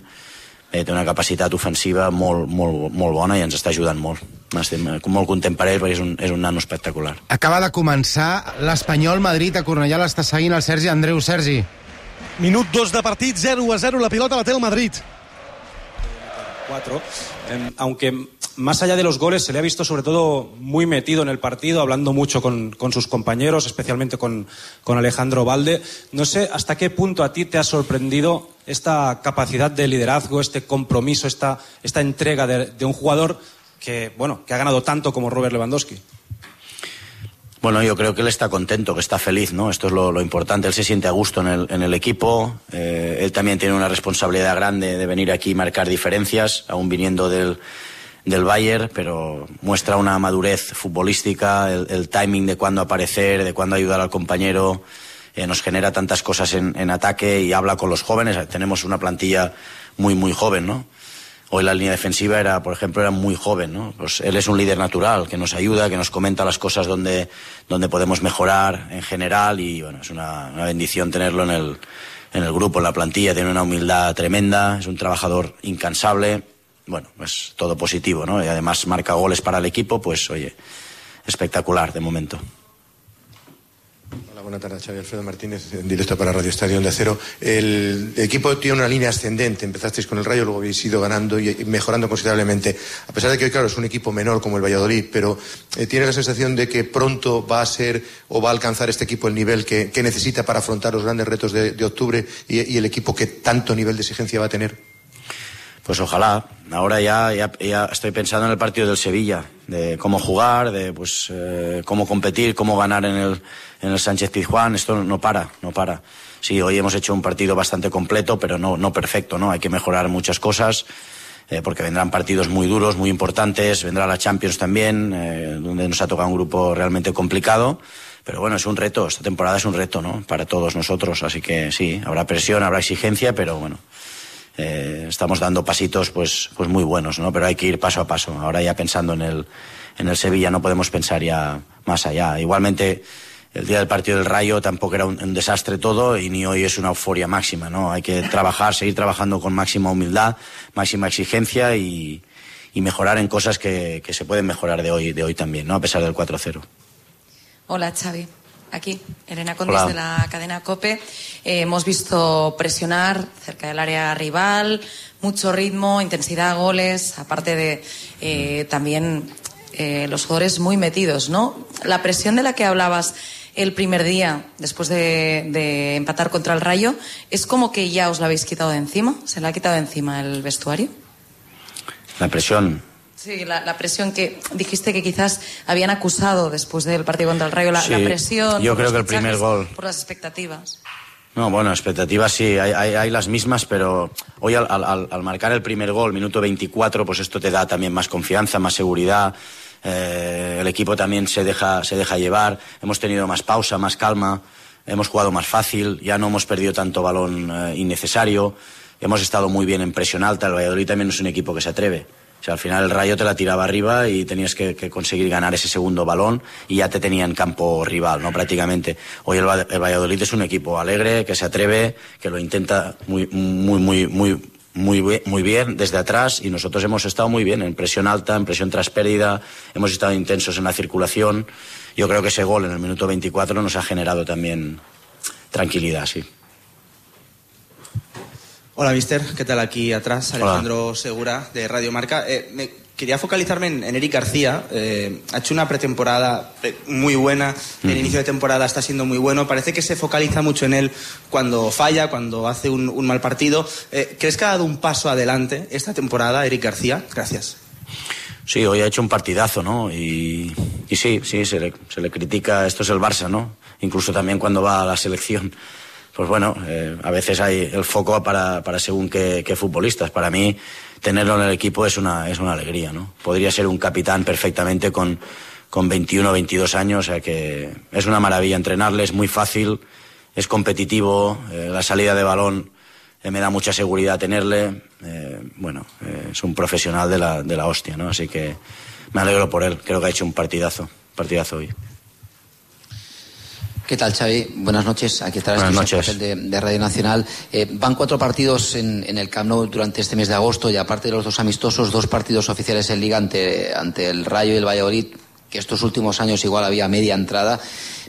té una capacitat ofensiva molt bona i ens està ajudant molt. Estem molt content per ell perquè és un nano espectacular. Acaba de començar l'Espanyol Madrid a Cornellà, l'està seguint el Sergi Andreu. Sergi. Minut 2 de partit, 0-0, la pilota la té el Madrid. 4, aunque más allá de los goles se le ha visto sobre todo muy metido en el partido, hablando mucho con sus compañeros, especialmente con Alejandro Balde. No sé hasta qué punto a ti te ha sorprendido esta capacidad de liderazgo, este compromiso, esta entrega de un jugador que ha ganado tanto como Robert Lewandowski. Bueno, yo creo que él está contento, que está feliz, ¿no? Esto es lo importante. Él se siente a gusto en el equipo. Él también tiene una responsabilidad grande de venir aquí y marcar diferencias, aún viniendo del Bayern, pero muestra una madurez futbolística, el timing de cuándo aparecer, de cuándo ayudar al compañero. Nos genera tantas cosas en ataque y habla con los jóvenes. Tenemos una plantilla muy, muy joven, ¿no? Hoy la línea defensiva era muy joven, ¿no? Pues él es un líder natural, que nos ayuda, que nos comenta las cosas donde podemos mejorar en general y bueno, es una bendición tenerlo en el grupo, en la plantilla. Tiene una humildad tremenda, es un trabajador incansable, bueno, pues todo positivo, ¿no? Y además marca goles para el equipo, pues oye, espectacular de momento. Hola, buenas tardes, Xavi. Alfredo Martínez, en directo para Radio Estadio Onda Cero. El equipo tiene una línea ascendente. Empezasteis con el Rayo, luego habéis ido ganando y mejorando considerablemente. A pesar de que hoy, claro, es un equipo menor como el Valladolid, pero ¿tiene la sensación de que pronto va a ser o va a alcanzar este equipo el nivel que necesita para afrontar los grandes retos de octubre y el equipo que tanto nivel de exigencia va a tener? Pues ojalá. Ahora ya estoy pensando en el partido del Sevilla, de cómo jugar, de cómo competir, cómo ganar en el Sánchez-Pizjuán. Esto no para. Sí, hoy hemos hecho un partido bastante completo, pero no perfecto, ¿no? Hay que mejorar muchas cosas, porque vendrán partidos muy duros, muy importantes. Vendrá la Champions también, donde nos ha tocado un grupo realmente complicado. Pero bueno, es un reto. Esta temporada es un reto, ¿no? Para todos nosotros. Así que sí, habrá presión, habrá exigencia, pero bueno. Estamos dando pasitos pues muy buenos, ¿no? Pero hay que ir paso a paso. Ahora ya pensando en el Sevilla no podemos pensar ya más allá. Igualmente el día del partido del Rayo tampoco era un desastre todo y ni hoy es una euforia máxima, ¿no? Hay que seguir trabajando con máxima humildad, máxima exigencia y mejorar en cosas que se pueden mejorar de hoy también, ¿no? A pesar del 4-0. Hola, Xavi. Aquí, Elena Condis de la cadena COPE. Hemos visto presionar cerca del área rival, mucho ritmo, intensidad, goles, aparte de también los jugadores muy metidos, ¿no? La presión de la que hablabas el primer día, después de empatar contra el Rayo, ¿es como que ya os la habéis quitado de encima? ¿Se la ha quitado de encima el vestuario? La presión. Sí, la presión que dijiste que quizás habían acusado después del partido contra el Rayo, la presión. Yo creo que el primer gol. Por las expectativas. No, bueno, expectativas sí, hay las mismas, pero hoy al marcar el primer gol, minuto 24, pues esto te da también más confianza, más seguridad. El equipo también se deja llevar. Hemos tenido más pausa, más calma. Hemos jugado más fácil. Ya no hemos perdido tanto balón innecesario. Hemos estado muy bien en presión alta. El Valladolid también es un equipo que se atreve. O sea, al final el Rayo te la tiraba arriba y tenías que conseguir ganar ese segundo balón y ya te tenía en campo rival, ¿no? Prácticamente. Hoy el Valladolid es un equipo alegre, que se atreve, que lo intenta muy bien desde atrás, y nosotros hemos estado muy bien en presión alta, en presión tras pérdida, hemos estado intensos en la circulación. Yo creo que ese gol en el minuto 24 nos ha generado también tranquilidad, sí. Hola, mister. ¿Qué tal? Aquí atrás, Alejandro Segura, de Radio Marca. Quería focalizarme en Eric García. Ha hecho una pretemporada muy buena. El inicio de temporada está siendo muy bueno. Parece que se focaliza mucho en él cuando falla, cuando hace un mal partido. ¿Crees que ha dado un paso adelante esta temporada, Eric García? Gracias. Sí, hoy ha hecho un partidazo, ¿no? Y sí, se le critica. Esto es el Barça, ¿no? Incluso también cuando va a la selección. Pues bueno, a veces hay el foco para según qué futbolistas. Para mí, tenerlo en el equipo es una alegría, ¿no? Podría ser un capitán perfectamente con 21 o 22 años, o sea que es una maravilla entrenarle, es muy fácil, es competitivo, la salida de balón me da mucha seguridad tenerle. Es un profesional de la hostia, ¿no? Así que me alegro por él, creo que ha hecho un partidazo hoy. ¿Qué tal, Xavi? Buenas noches. Aquí está el papel de Radio Nacional. Van 4 partidos en el Camp Nou durante este mes de agosto, y aparte de los 2 amistosos, 2 partidos oficiales en Liga ante el Rayo y el Valladolid, que estos últimos años igual había media entrada,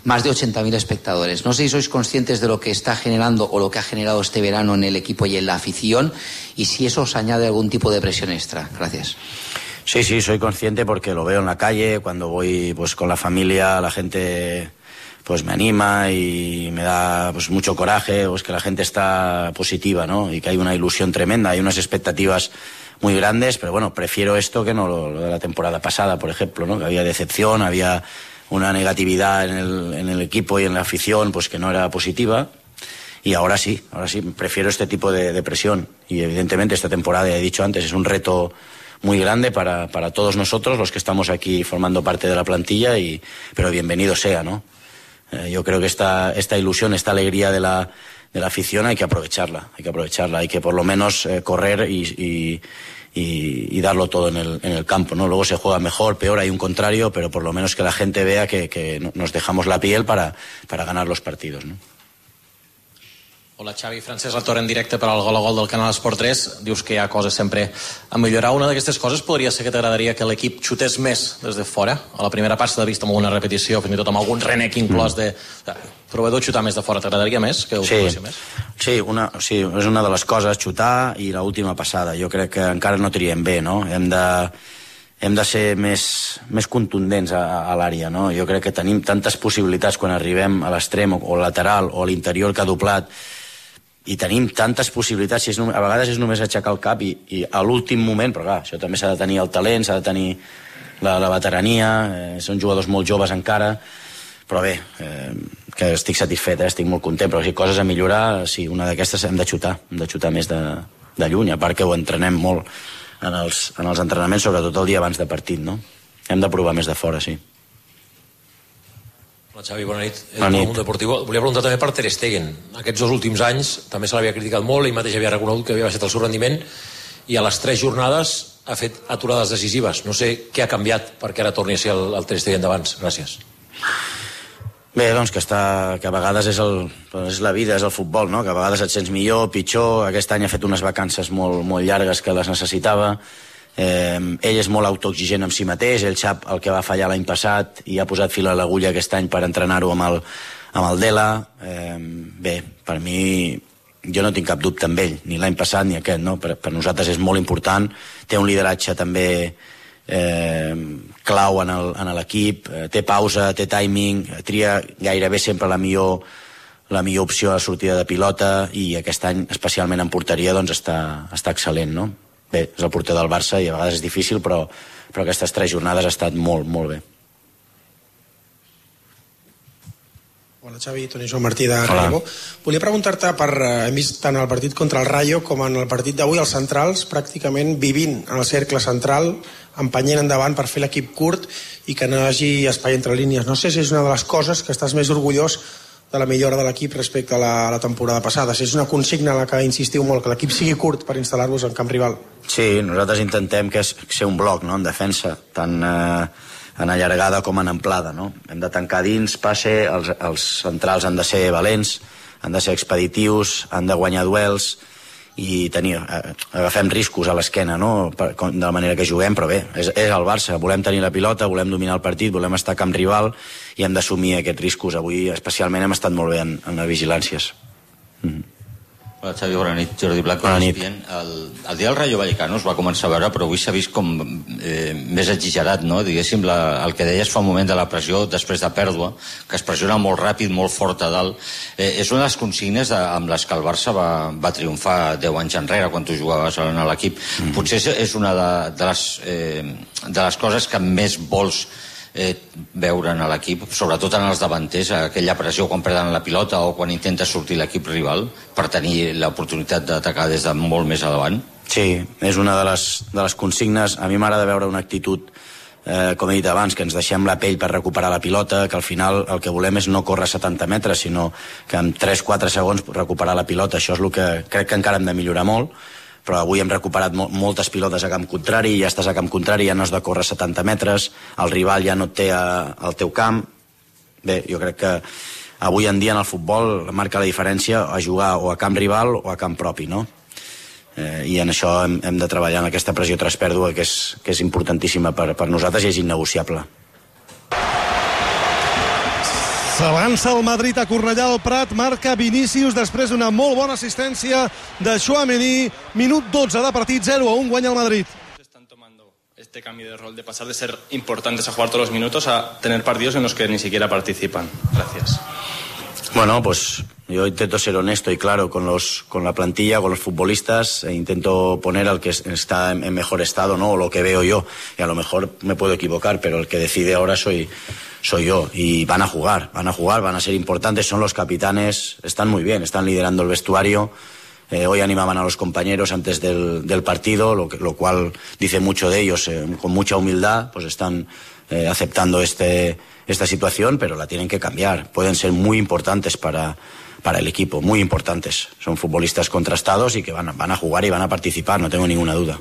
más de 80.000 espectadores. No sé si sois conscientes de lo que está generando o lo que ha generado este verano en el equipo y en la afición, y si eso os añade algún tipo de presión extra. Gracias. Sí, soy consciente porque lo veo en la calle, cuando voy pues con la familia, la gente pues me anima y me da pues mucho coraje, pues que la gente está positiva, ¿no? Y que hay una ilusión tremenda, hay unas expectativas muy grandes, pero bueno, prefiero esto que no lo de la temporada pasada, por ejemplo, ¿no? Que había decepción, había una negatividad en el equipo y en la afición, pues que no era positiva. Y ahora sí, prefiero este tipo de presión. Y evidentemente esta temporada, ya he dicho antes, es un reto muy grande para todos nosotros, los que estamos aquí formando parte de la plantilla, pero bienvenido sea, ¿no? Yo creo que esta ilusión, esta alegría de la afición hay que aprovecharla, hay que por lo menos correr y darlo todo en el campo, ¿no? Luego se juega mejor, peor, hay un contrario, pero por lo menos que la gente vea que nos dejamos la piel para ganar los partidos, ¿no? Hola, Xavi. Francesc Latorre en directe per al Gol a Gol del canal Esport 3. Dius que hi ha coses sempre a millorar. Una d'aquestes coses podria ser que t'agradaria que l'equip xutés més des de fora. A la primera part s'ha vist amb alguna repetició, fins i tot amb algun renec inclòs de... Proveedor xutar més de fora, t'agradaria més? Que ho xutéssiu més? Sí, és una de les coses, xutar i l'última passada. Jo crec que encara no triem bé, no? Hem de ser més contundents a l'àrea, no? Jo crec que tenim tantes possibilitats quan arribem a l'extrem o lateral o a l'interior que ha doblat, i tenim tantes possibilitats, a vegades és només aixecar el cap i a l'últim moment, però clar, això també s'ha de tenir el talent, s'ha de tenir la veterania, són jugadors molt joves encara, però bé, que estic satisfet, estic molt content, però si coses a millorar, sí, una d'aquestes hem de xutar més de lluny, a part que ho entrenem molt en els entrenaments, sobretot el dia abans de partit, no? Hem de provar més de fora, sí. Hola, Xavi, bona nit. El Mundo Deportivo. Volia preguntar també per Ter Stegen. Aquests 2 últims anys també se l'havia criticat molt, ell mateix havia reconegut que havia baixat el seu rendiment, i a les 3 jornades ha fet aturades decisives. No sé què ha canviat perquè ara torni a ser el Ter Stegen d'abans. Gràcies. Bé, doncs que a vegades és la vida, és el futbol, no? Que a vegades et sents millor, pitjor. Aquest any ha fet unes vacances molt llargues que les necessitava. Ell és molt autoexigent amb si mateix, ell sap el que va fallar l'any passat i ha posat fil a l'agulla aquest any per entrenar-ho amb el Dela. Bé, per mi jo no tinc cap dubte amb ell, ni l'any passat ni aquest, no? Per nosaltres és molt important, té un lideratge també clau en l'equip, té pausa, té timing, tria gairebé sempre la millor opció a sortida de pilota, i aquest any, especialment en porteria, doncs està excel·lent, no? Bé, és el porter del Barça i a vegades és difícil, però aquestes 3 jornades ha estat molt, molt bé. Hola Xavi, Toni Joan Martí de Relevo. Volia preguntar-te hem vist tant el partit contra el Rayo com en el partit d'avui els centrals pràcticament vivint en el cercle central, empenyent endavant per fer l'equip curt i que no hi hagi espai entre línies. No sé si és una de les coses que estàs més orgullós de la millora de l'equip respecte a la temporada passada. Si és una consigna en la que insistiu molt, que l'equip sigui curt per instal·lar-vos en camp rival. Sí, nosaltres intentem que ser un bloc, no?, en defensa, tant en allargada com en amplada, no? Hem de tancar dins, passe, els centrals han de ser valents, han de ser expeditius, han de guanyar duels i agafem riscos a l'esquena, no?, de la manera que juguem, però bé, és el Barça, volem tenir la pilota, volem dominar el partit, volem estar a camp rival i hem d'assumir aquests riscos. Avui especialment hem estat molt bé en les vigilàncies. Hola Xavi, bona nit. Jordi Blanco. Bona nit. El dia del Rayo Vallecano es va començar a veure, però avui s'ha vist com més exagerat, no? Diguéssim, el que deies fa un moment de la pressió després de pèrdua, que es pressiona molt ràpid, molt fort a dalt. És una de les consignes amb les que el Barça va triomfar 10 anys enrere, quan tu jugaves a l'equip. Potser és una de les coses que més vols veure en l'equip, sobretot en els davanters, aquella pressió quan perden la pilota o quan intenta sortir l'equip rival per tenir l'oportunitat d'atacar des de molt més a davant. Sí, és una de les consignes. A mi m'agrada veure una actitud, com he dit abans, que ens deixem la pell per recuperar la pilota, que al final el que volem és no córrer 70 metres, sinó que en 3-4 segons recuperar la pilota. Això és el que crec que encara hem de millorar molt, però avui hem recuperat moltes pilotes a camp contrari, ja estàs a camp contrari, ja no has de córrer 70 metres, el rival ja no et té al teu camp. Bé, jo crec que avui en dia en el futbol marca la diferència a jugar o a camp rival o a camp propi, no? I en això hem de treballar, en aquesta pressió tras pèrdua, que és importantíssima per nosaltres i és innegociable. S'avança el Madrid a Cornellà al Prat, marca Vinícius després d'una molt bona assistència de Tchouaméni. Minut 12 de partit, 0-1, guanya el Madrid. Este cambio de rol de pasar de ser importantes a jugar todos los minutos a tener partidos en los que ni siquiera participan. Gracias. Bueno, pues yo intento ser honesto y claro con la plantilla, con los futbolistas, e intento poner al que está en mejor estado, ¿no? O lo que veo yo. Y a lo mejor me puedo equivocar, pero el que decide ahora soy yo. Y van a jugar, van a ser importantes, son los capitanes, están muy bien, están liderando el vestuario. Hoy animaban a los compañeros antes del partido, lo cual dice mucho de ellos, con mucha humildad, pues están aceptando esta situación, pero la tienen que cambiar. Pueden ser muy importantes para el equipo, muy importantes. Son futbolistas contrastados y que van a jugar y van a participar, no tengo ninguna duda.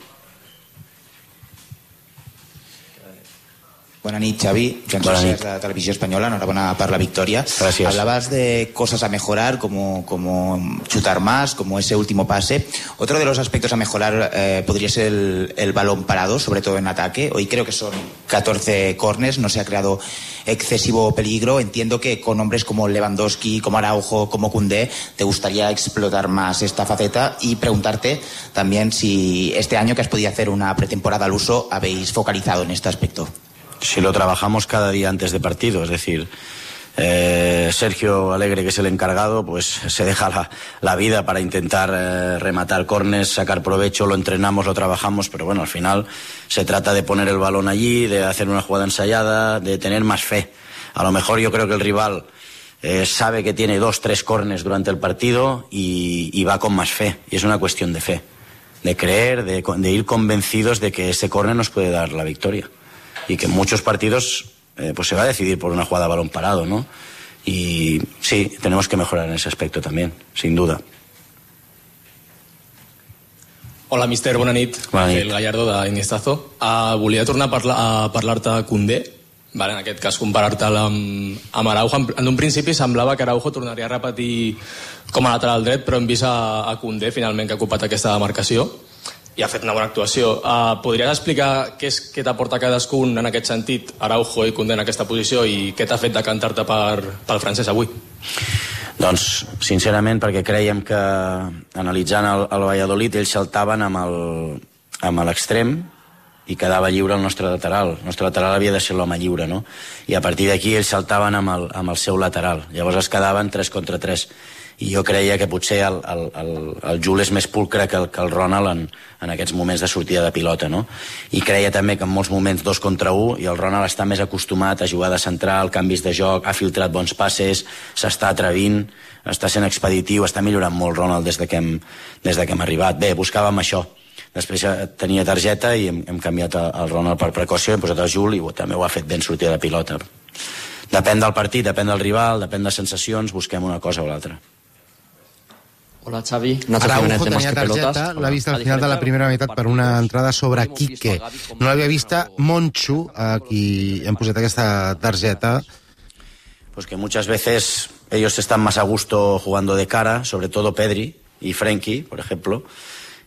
Buenas noches, Xavi. Joan Socers, de Televisió Espanyola. Enhorabuena por la victoria. Gracias. Hablabas de cosas a mejorar, como chutar más, como ese último pase. Otro de los aspectos a mejorar podría ser el balón parado, sobre todo en ataque. Hoy creo que son 14 córners, no se ha creado excesivo peligro. Entiendo que con hombres como Lewandowski, como Araujo, como Koundé, te gustaría explotar más esta faceta, y preguntarte también si este año, que has podido hacer una pretemporada al uso, habéis focalizado en este aspecto. Si lo trabajamos cada día antes de partido, es decir, Sergio Alegre, que es el encargado, pues se deja la vida para intentar rematar córners, sacar provecho, lo entrenamos, lo trabajamos, pero bueno, al final se trata de poner el balón allí, de hacer una jugada ensayada, de tener más fe. A lo mejor yo creo que el rival sabe que tiene 2-3 córners durante el partido y va con más fe, y es una cuestión de fe, de creer, de ir convencidos de que ese córner nos puede dar la victoria. Y que en muchos partidos pues se va a decidir por una jugada a balón parado, ¿no? Y sí, tenemos que mejorar en ese aspecto también, sin duda. Hola, mister, bona nit. El Gallardo d'Iniestazo. Volia tornar a parlar-te de Koundé. Vale, en aquest cas, comparar-te'l amb Araujo. En un principi semblava que Araujo tornaria a repetir com a lateral dret, però hem vist a Koundé, finalment, que ha ocupat aquesta demarcació i ha fet una bona actuació. Podries explicar què t'aporta cadascun en aquest sentit, Araujo i Koundé en aquesta posició, i què t'ha fet decantar-te pel francès avui? Doncs, sincerament, perquè creiem que, analitzant el Valladolid, ells saltaven amb l'extrem, i quedava lliure el nostre lateral. El nostre lateral havia de ser l'home lliure, no? I a partir d'aquí ells saltaven amb el seu lateral. Llavors es quedaven 3 contra 3. I jo creia que potser el Jul és més pulcre que el Ronald en aquests moments de sortida de pilota, no? I creia també que en molts moments 2 contra 1, i el Ronald està més acostumat a jugar de central, canvis de joc, ha filtrat bons passes, s'està atrevint, està sent expeditiu, està millorant molt Ronald des de que hem arribat. Bé, buscàvem això. Després tenia targeta i hem canviat el Ronald per precaució, hem posat el Jul i també ho ha fet ben sortida de pilota. Depèn del partit, depèn del rival, depèn de sensacions, busquem una cosa o l'altra. Hola, Xavi. Araujo tenia targeta, l'ha vist al final de la primera meitat per una entrada sobre Quique. No l'havia vista Monchu, a qui hem posat aquesta targeta. Pues que muchas veces ellos están más a gusto jugando de cara, sobre todo Pedri y Frenkie, por ejemplo,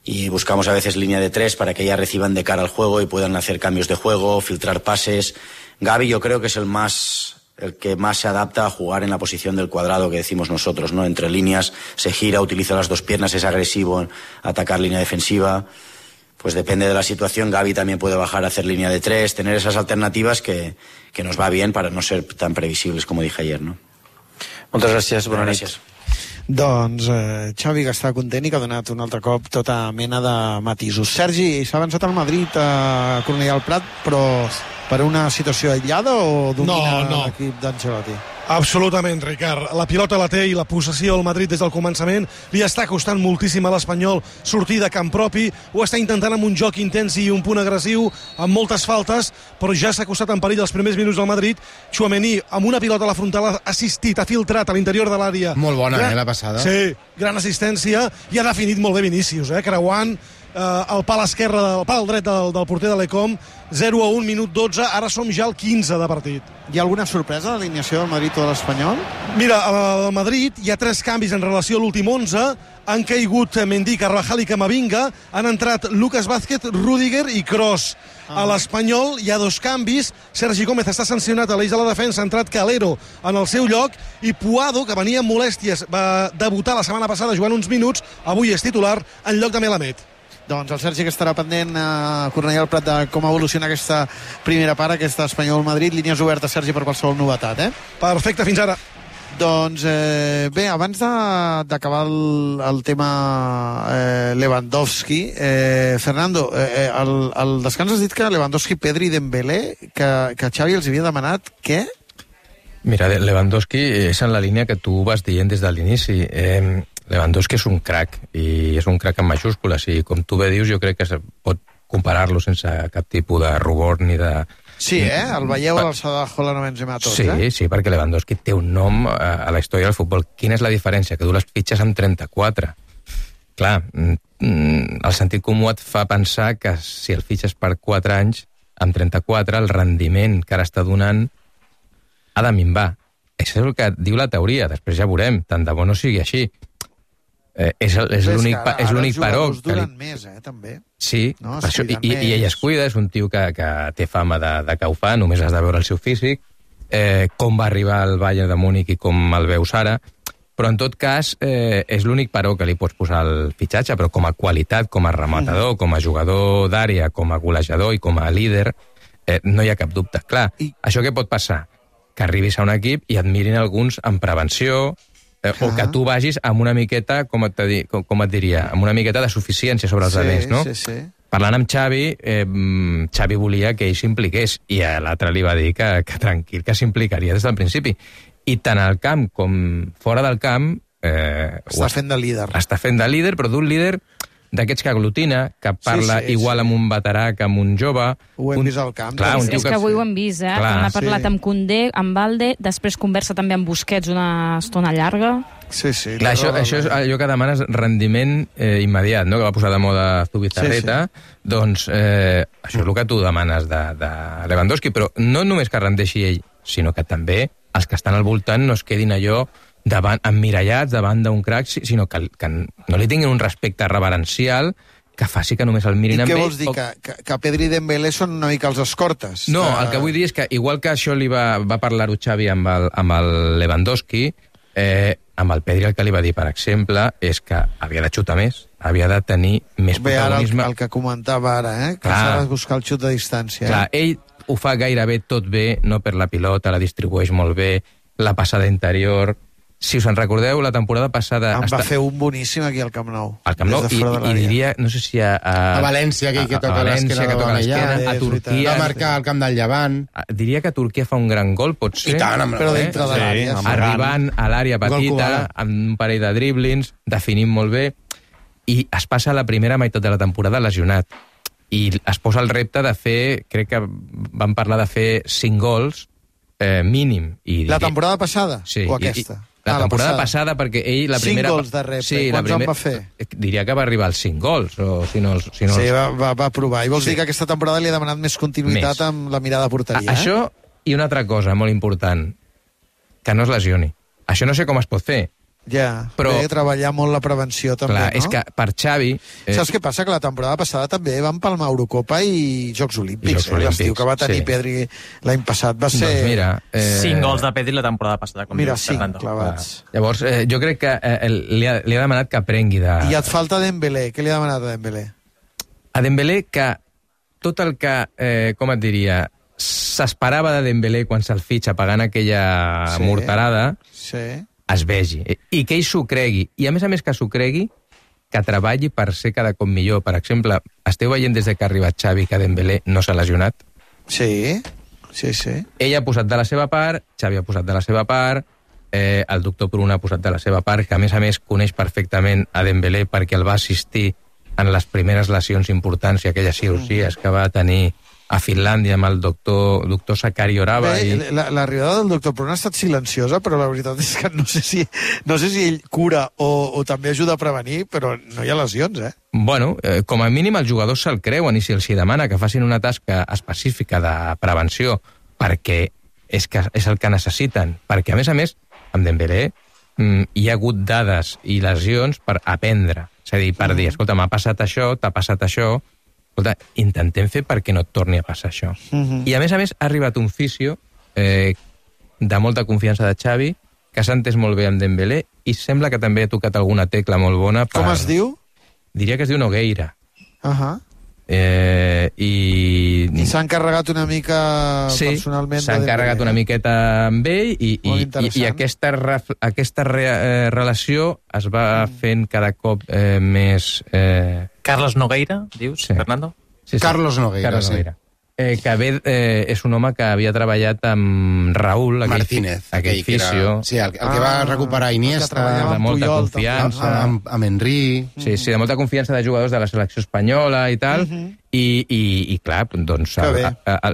y buscamos a veces línea de 3 para que ya reciban de cara al juego y puedan hacer cambios de juego, filtrar pases. Gavi yo creo que es el que más se adapta a jugar en la posición del cuadrado que decimos nosotros, ¿no? Entre líneas se gira, utiliza las 2 piernas, es agresivo en atacar línea defensiva. Pues depende de la situación, Gavi también puede bajar a hacer línea de 3, tener esas alternativas que nos va bien para no ser tan previsibles como dije ayer, ¿no? Moltes gràcies, bona nit. Gràcies. Doncs Xavi, que està content i que ha donat un altre cop tota mena de matisos. Sergi, s'ha avançat al Madrid a Cornellà del Prat, però per una situació aïllada o domina l'equip d'Ancelotti? Absolutament, Ricard. La pilota la té i la possessió al Madrid des del començament li està costant moltíssim a l'Espanyol sortir de camp propi, ho està intentant amb un joc intens i un punt agressiu, amb moltes faltes, però ja s'ha costat en perill els primers minuts del Madrid. Tchouaméni, amb una pilota a la frontal, ha assistit, ha filtrat a l'interior de l'àrea. Molt bona, la passada. Sí, gran assistència, i ha definit molt bé Vinícius, creuant el pal esquerre, el pal dret del porter de l'Ecom. 0-1, minut 12, ara som ja al 15 de partit. Hi ha alguna sorpresa a l'alineació del Madrid o de l'Espanyol? Mira, al Madrid hi ha 3 canvis en relació a l'últim 11. Han caigut Mendy, Carvajal i Camavinga. Han entrat Lucas Vázquez, Rüdiger i Kroos. A l'Espanyol hi ha 2 canvis. Sergi Gómez està sancionat a l'eix de la defensa, ha entrat Calero en el seu lloc, i Puado, que venia amb molèsties, va debutar la setmana passada jugant uns minuts, avui és titular en lloc de Melamed. Doncs el Sergi, que estarà pendent a Cornellà del Prat de com evoluciona aquesta primera part, aquesta Espanyol-Madrid. Línies obertes, Sergi, per qualsevol novetat, Perfecte, fins ara. Doncs bé, abans d'acabar el tema Lewandowski, Fernando, al descans has dit que Lewandowski, Pedri i Dembélé, que Xavi els havia demanat què? Mira, Lewandowski és en la línia que tu vas dient des de l'inici. Lewandowski és un crac, i és un crac en majúscules, i com tu bé dius, jo crec que es pot comparar-lo sense cap tipus de rubor ni de... Sí, el veieu a l'alçada de Haaland o Benzema tots, Sí, perquè Lewandowski té un nom a la història del futbol. Quina és la diferència? Que du les fitxes amb 34. Clar, el sentit comú et fa pensar que si el fitxes per 4 anys, amb 34, el rendiment que ara està donant ha de minvar. Això és el que diu la teoria, després ja veurem, tant de bo no sigui així. És l'únic però... Els duren més, també. Sí, no, i ell es cuida, és un tio que té fama de que ho fa, només has de veure el seu físic, com va arribar al Bayern de Múnich i com el veus ara, però en tot cas és l'únic però que li pots posar al fitxatge, però com a qualitat, com a rematador, com a jugador d'àrea, com a golejador i com a líder, no hi ha cap dubte. Clar, això què pot passar? Que arribis a un equip i et mirin alguns en prevenció, o que tu vagis amb una miqueta, com et diria, amb una miqueta de suficiència sobre els altres, no? Sí. Parlant amb Xavi, Xavi volia que ell s'impliqués, i a l'altre li va dir que tranquil, que s'implicaria des del principi. I tant al camp com fora del camp... Està fent de líder. Està fent de líder, però d'un líder d'aquests que aglutina, que parla igual amb un veterà que amb un jove. Ho hem vist al camp. Clar, és que avui ho hem vist, Clar, quan ha parlat amb Koundé, amb Valde, després conversa també amb Busquets una estona llarga. Sí. Clar, això és allò que demanes rendiment immediat, no? Que va posar de moda Zubizarreta. Doncs això és el que tu demanes de Lewandowski, però no només que rendeixi ell, sinó que també els que estan al voltant no es quedin allò emmirallats davant d'un crac, sinó que no li tinguin un respecte reverencial que faci que només el mirin amb ell. I què vols dir? Que Pedri i Dembélé són una mica els escortes? No, el que vull dir és que igual que això li va parlar-ho Xavi amb el Lewandowski, Amb el Pedri el que li va dir, per exemple, és que havia de xutar més, havia de tenir més protagonisme. Ara el que comentava ara, que s'ha de buscar el xut de distància. Clar, ell ho fa gairebé tot bé, no per la pilota, la distribueix molt bé, la passada interior. Si us en recordeu, la temporada passada... va fer un boníssim aquí al Camp Nou. Al Camp Nou, i diria, no sé si a València, aquell que toca l'esquena de Bamellà, a Turquia... Va marcar al Camp del Llevant. Diria que Turquia fa un gran gol, potser. I tant, però dintre de l'àrea. Arribant a l'àrea petita, amb un parell de driblings, definint molt bé, i es passa la primera meitat de la temporada lesionat. I es posa el repte de fer, crec que vam parlar de fer 5 gols mínim. La temporada passada? Sí. O aquesta? La temporada passada, perquè ell la primera... 5 gols de repte. Quants en va fer? Diria que va arribar als 5 gols, o si no... Sí, va provar. I vols dir que aquesta temporada li ha demanat més continuïtat amb la mirada a porteria, Això i una altra cosa molt important, que no es lesioni. Això no sé com es pot fer. Ja, però he de treballar molt la prevenció també, clar, no? És que per Xavi... Saps què passa? Que la temporada passada també van palmar Eurocopa i Jocs Olímpics. L'estiu que va tenir Pedri l'any passat va ser... Doncs mira... 5 gols de Pedri la temporada passada. Mira, 5 clavats. Llavors, jo crec que li ha demanat que aprengui de... I et falta Dembélé. Què li ha demanat a Dembélé? A Dembélé que tot el que, com et diria, s'esperava de Dembélé quan se'l fitxa pagant aquella morterada... Sí. Es vegi, i que ell s'ho cregui, i a més que s'ho cregui, que treballi per ser cada cop millor. Per exemple, esteu veient des que ha arribat Xavi que Dembélé no s'ha lesionat? Sí. Ell ha posat de la seva part, Xavi ha posat de la seva part, el doctor Pruna ha posat de la seva part, que a més coneix perfectament a Dembélé perquè el va assistir en les primeres lesions importants i aquelles cirurgies que va tenir a Finlàndia amb el doctor Sakari Orava. L'arribada del doctor Pruna ha estat silenciosa, però la veritat és que no sé si ell cura o també ajuda a prevenir, però no hi ha lesions, Bueno, com a mínim els jugadors se'l creuen i si els demana que facin una tasca específica de prevenció perquè és el que necessiten, perquè a més, amb Dembélé hi ha hagut dades i lesions per aprendre, és a dir, per dir, escolta, m'ha passat això, t'ha passat això, escolta, intentem fer perquè no et torni a passar això. I a més, ha arribat un fisio de molta confiança de Xavi, que s'ha entès molt bé amb Dembélé i sembla que també ha tocat alguna tecla molt bona. Com es diu? Diria que es diu Nogueira. I s'ha encarregat una mica personalment s'ha encarregat una miqueta amb ell i aquesta relació es va fent cada cop més... Carlos Nogueira, dius, Fernando? Sí. Carlos Nogueira, que ve, és un home que havia treballat amb Raúl Martínez, aquell fisio. Sí, el que va recuperar Iniesta, de molta confiança. Amb Henry. Sí, de molta confiança de jugadors de la selecció espanyola i tal. I clar, doncs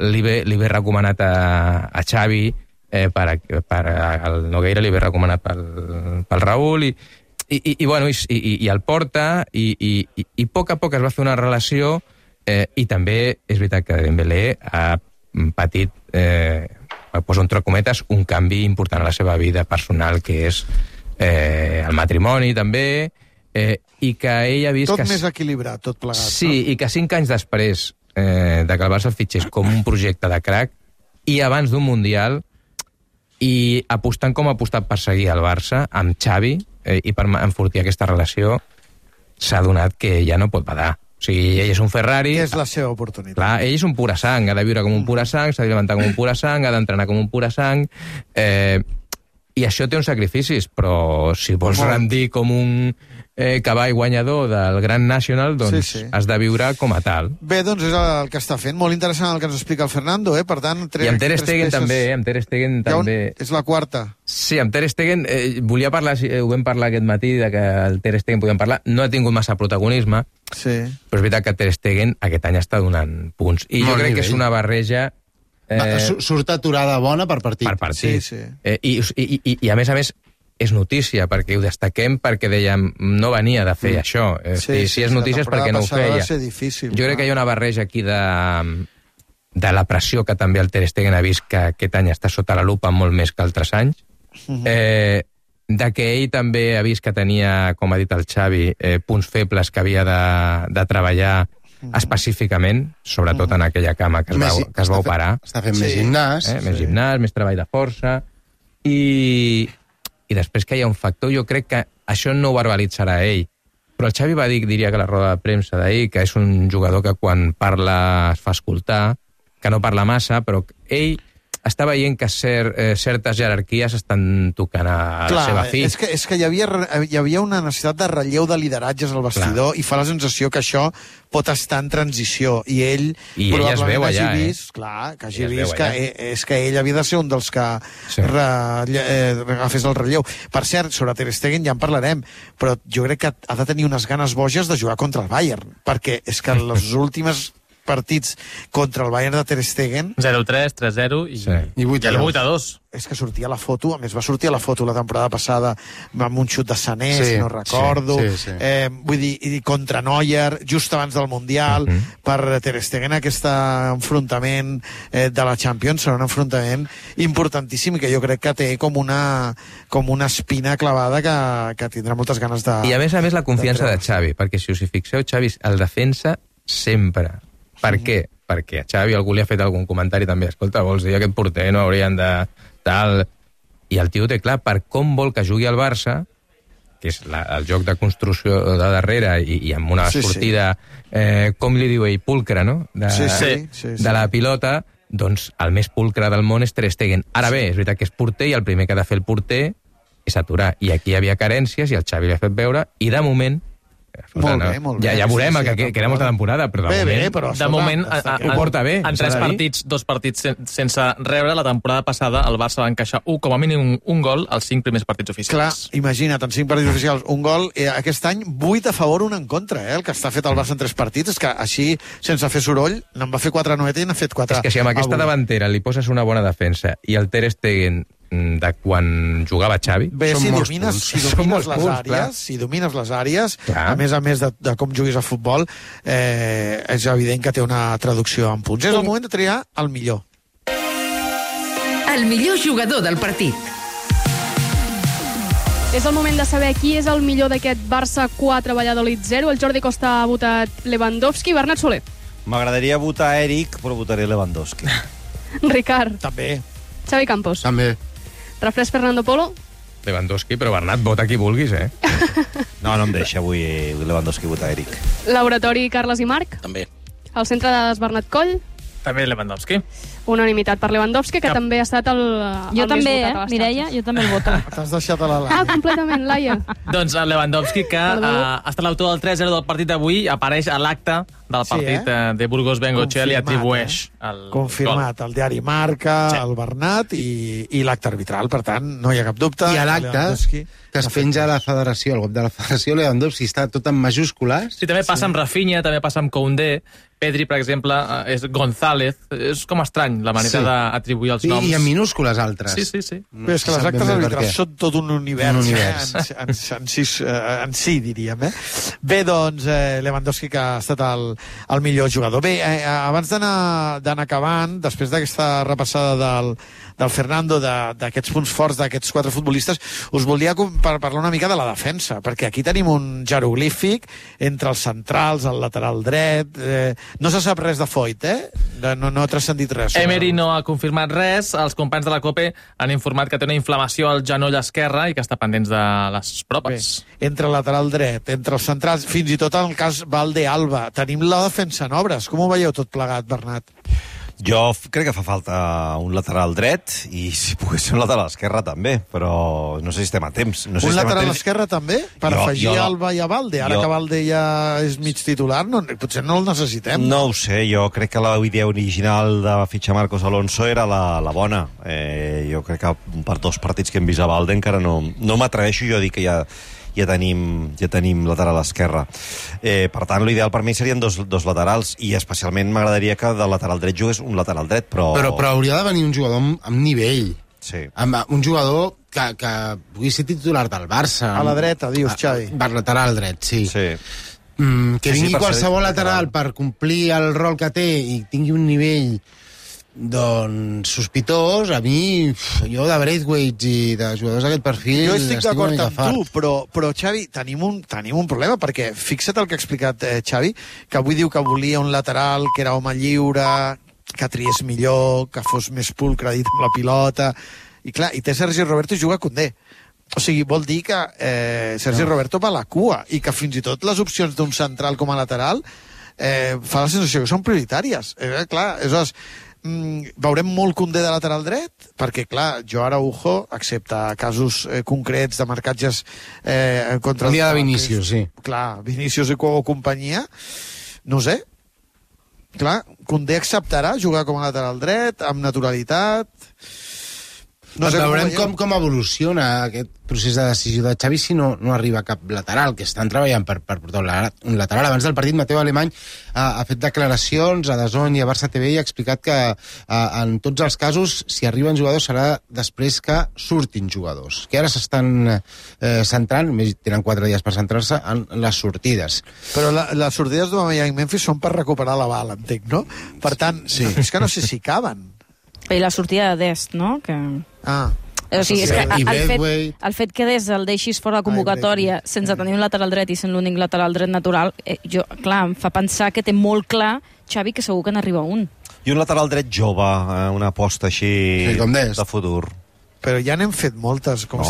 li ve recomanat a Xavi, per el Nogueira li ve recomanat pel Raúl i el porta i a poc es va fer una relació. I també és veritat que Dembélé ha patit, poso entre cometes, un canvi important a la seva vida personal, que és el matrimoni també, i que ell ha vist... Tot més equilibrat, tot plegat. Sí, i que 5 anys després de que el Barça el fitxés com un projecte de crack, i abans d'un Mundial, i apostant com ha apostat per seguir el Barça, amb Xavi, i per enfortir aquesta relació, s'ha donat que ja no pot badar. O sigui, ell és un Ferrari... Que és la seva oportunitat. Clar, ell és un pura sang, ha de viure com un pura sang, s'ha de levantar com un pura sang, ha d'entrenar com un pura sang... I això té uns sacrificis, però si vols rendir com un cavall guanyador del Grand National, doncs has de viure com a tal. Bé, doncs és el que està fent. Molt interessant el que ens explica el Fernando, Per tant, I amb Ter Stegen també, És la quarta. Sí, amb Ter Stegen, volia parlar, ho vam parlar aquest matí, de que el Ter Stegen podíem parlar, no ha tingut massa protagonisme, però és veritat que Ter Stegen aquest any està donant punts. I jo crec que és una barreja... Surt aturada bona per partit. Per partit. I a més, és notícia, perquè ho destaquem, perquè dèiem, no venia de fer això. Si és notícia és perquè no ho feia. Jo crec que hi ha una barreja aquí de la pressió que també el Ter Stegen ha vist que aquest any està sota la lupa molt més que altres anys, de que ell també ha vist que tenia, com ha dit el Xavi, punts febles que havia de treballar específicament, sobretot en aquella cama que es va operar. Està fent més gimnàs. Més gimnàs, més treball de força. I i després que hi ha un factor, jo crec que això no ho verbalitzarà ell. Però el Xavi va dir, diria que a la roda de premsa d'ahir, que és un jugador que quan parla es fa escoltar, que no parla massa, però ell està veient que certes jerarquies estan tocant a la seva fi. És que hi havia una necessitat de relleu de lideratges al vestidor i fa la sensació que això pot estar en transició. I ell es veu allà, que hagi vist que és que ell havia de ser un dels que agafés el relleu. Per cert, sobre Ter Stegen ja en parlarem, però jo crec que ha de tenir unes ganes boges de jugar contra el Bayern, perquè és que les últimes partits contra el Bayern de Ter Stegen 0-3, 3-0 i 8-2. És que sortia la foto, a més va sortir a la foto la temporada passada amb un xut de Sané, si no recordo, vull dir, contra Neuer just abans del Mundial. Per Ter Stegen aquest enfrontament de la Champions serà un enfrontament importantíssim i que jo crec que té com una espina clavada que tindrà moltes ganes de... I a més la confiança de Xavi, perquè si us hi fixeu, Xavi el defensa sempre. Per què? Perquè a Xavi algú li ha fet algun comentari també, escolta, vols dir aquest porter no haurien de tal... I el tio té clar per com vol que jugui al Barça, que és el joc de construcció de darrere i amb una sortida, com li diu ell, pulcre, no? De la pilota, doncs el més pulcre del món és Ter Stegen. Ara bé, és veritat que és porter i el primer que ha de fer el porter és aturar. I aquí hi havia carències i el Xavi li ha fet veure, i de moment... Molt bé. Ja veurem que queda molta temporada, però de moment ho porta bé. En 3 partits, 2 partits sense rebre, la temporada passada el Barça va encaixar com a mínim un gol als 5 primers partits oficials. Clar, imagina't, en 5 partits oficials un gol, aquest any 8 a favor, 1 en contra, el que està fet el Barça en 3 partits, és que així, sense fer soroll, n'en va fer 4 a Noeta i n'ha fet 4 És que si amb aquesta davantera li poses una bona defensa i el Ter Stegen de quan jugava Xavi, si domines les àrees, a més de com juguis a futbol, és evident que té una traducció en punts. És el moment de triar el millor. El millor jugador del partit. És el moment de saber qui és el millor d'aquest Barça 4, Valladolid 0. El Jordi Costa ha votat Lewandowski. Bernat Soler. M'agradaria votar Eric, però votaré Lewandowski. Ricard. També. Xavi Campos. També. Refresc Fernando Polo. Lewandowski, però Bernat, vota qui vulguis, No em deixa avui Lewandowski votar Eric. Laboratori Carles i Marc. També. El centre de Bernat Coll. També Lewandowski. Unanimitat per Lewandowski, que també ha estat el jo més també, votat a l'estat. Mireia, jo també el voto. T'has deixat a la Laia. Completament, Laia. Doncs el Lewandowski, que ha estat l'autor del 3-0 del partit d'avui, apareix a l'acte del partit de Burgos Bengochea, li atribueix el confirmat, gol. El diari Marca, el Bernat i l'acte arbitral, per tant, no hi ha cap dubte. I a l'acte que es penja a la federació, el web de la federació, Lewandowski està tot en majúscules. Sí, també passa amb Rafinha, també passa amb Koundé, Pedri, per exemple, és González. És com estrany la manera d'atribuir els noms. I en minúscules altres. Sí. Però és que les actes arbitrals són tot un univers. En si, diríem. Bé, doncs, Lewandowski, que ha estat el millor jugador. Bé, abans d'anar acabant, després d'aquesta repassada del Fernando, d'aquests punts forts d'aquests 4 futbolistes, us volia parlar una mica de la defensa, perquè aquí tenim un jeroglífic entre els centrals, el lateral dret... No se sap res de Foyt, No ha transcendit res. Emery no ha confirmat res. Els companys de la COPE han informat que té una inflamació al genoll esquerre i que està pendents de les proves. Bé, entre el lateral dret, entre els centrals, fins i tot en el cas Valde-Alba, tenim la defensa en obres. Com ho veieu tot plegat, Bernat? Jo crec que fa falta un lateral dret i si pogués ser un lateral esquerre també, però no sé si estem a temps. No sé un lateral esquerre també? Per afegir Alba i a Valde? Ara que Valde ja és mig titular, potser no el necessitem. No ho sé, jo crec que la idea original de fitxar Marcos Alonso era la bona. Jo crec que per 2 partits que hem vist a Valde encara no m'atreveixo jo a dir que ja tenim lateral esquerre. Per tant, l'ideal per mi serien dos laterals i especialment m'agradaria que del lateral dret jugués un lateral dret, però hauria de venir un jugador amb nivell. Sí. Un jugador que pugui ser titular del Barça. A la dreta, dius, Xavi. Per lateral dret, sí. Que vingui qualsevol lateral per complir el rol que té i tingui un nivell sospitós, a mi jo de Braithwaite i de jugadors d'aquest perfil jo estic d'acord amb tu, però Xavi, tenim un problema, perquè fixa't el que ha explicat Xavi, que avui diu que volia un lateral que era home lliure, que triés millor, que fos més pulcre dit amb la pilota, i clar, i té Sergi Roberto i juga Koundé. O sigui, vol dir que Sergi Roberto va a la cua i que fins i tot les opcions d'un central com a lateral fa la sensació que són prioritàries. Clar, aleshores, veurem molt Koundé de lateral dret, perquè, clar, Joao Araujo, excepte casos concrets de marcatges contra... El dia de Vinícius, sí. Clar, Vinícius o companyia, no sé. Clar, Koundé acceptarà jugar com a lateral dret, amb naturalitat... No sé, veurem com evoluciona aquest procés de decisió de Xavi si no arriba cap lateral, que estan treballant per portar un lateral. Abans del partit, Mateu Alemany ha fet declaracions a DAZN i a Barça TV i ha explicat que en tots els casos, si arriben jugadors, serà després que surtin jugadors, que ara s'estan centrant, tenen 4 dies per centrar-se, en les sortides. Però les sortides d'Aubameyang i Memphis són per recuperar la bala, entenc, no? Per tant, és que no sé si caben. I la sortida de Dest, no? O sigui, és que el fet que Dest el deixis fora de convocatòria sense tenir un lateral dret i sent l'únic lateral dret natural, clar, em fa pensar que té molt clar Xavi que segur que n'arriba un. I un lateral dret jove, una aposta així de futur. Però ja n'hem fet moltes. Però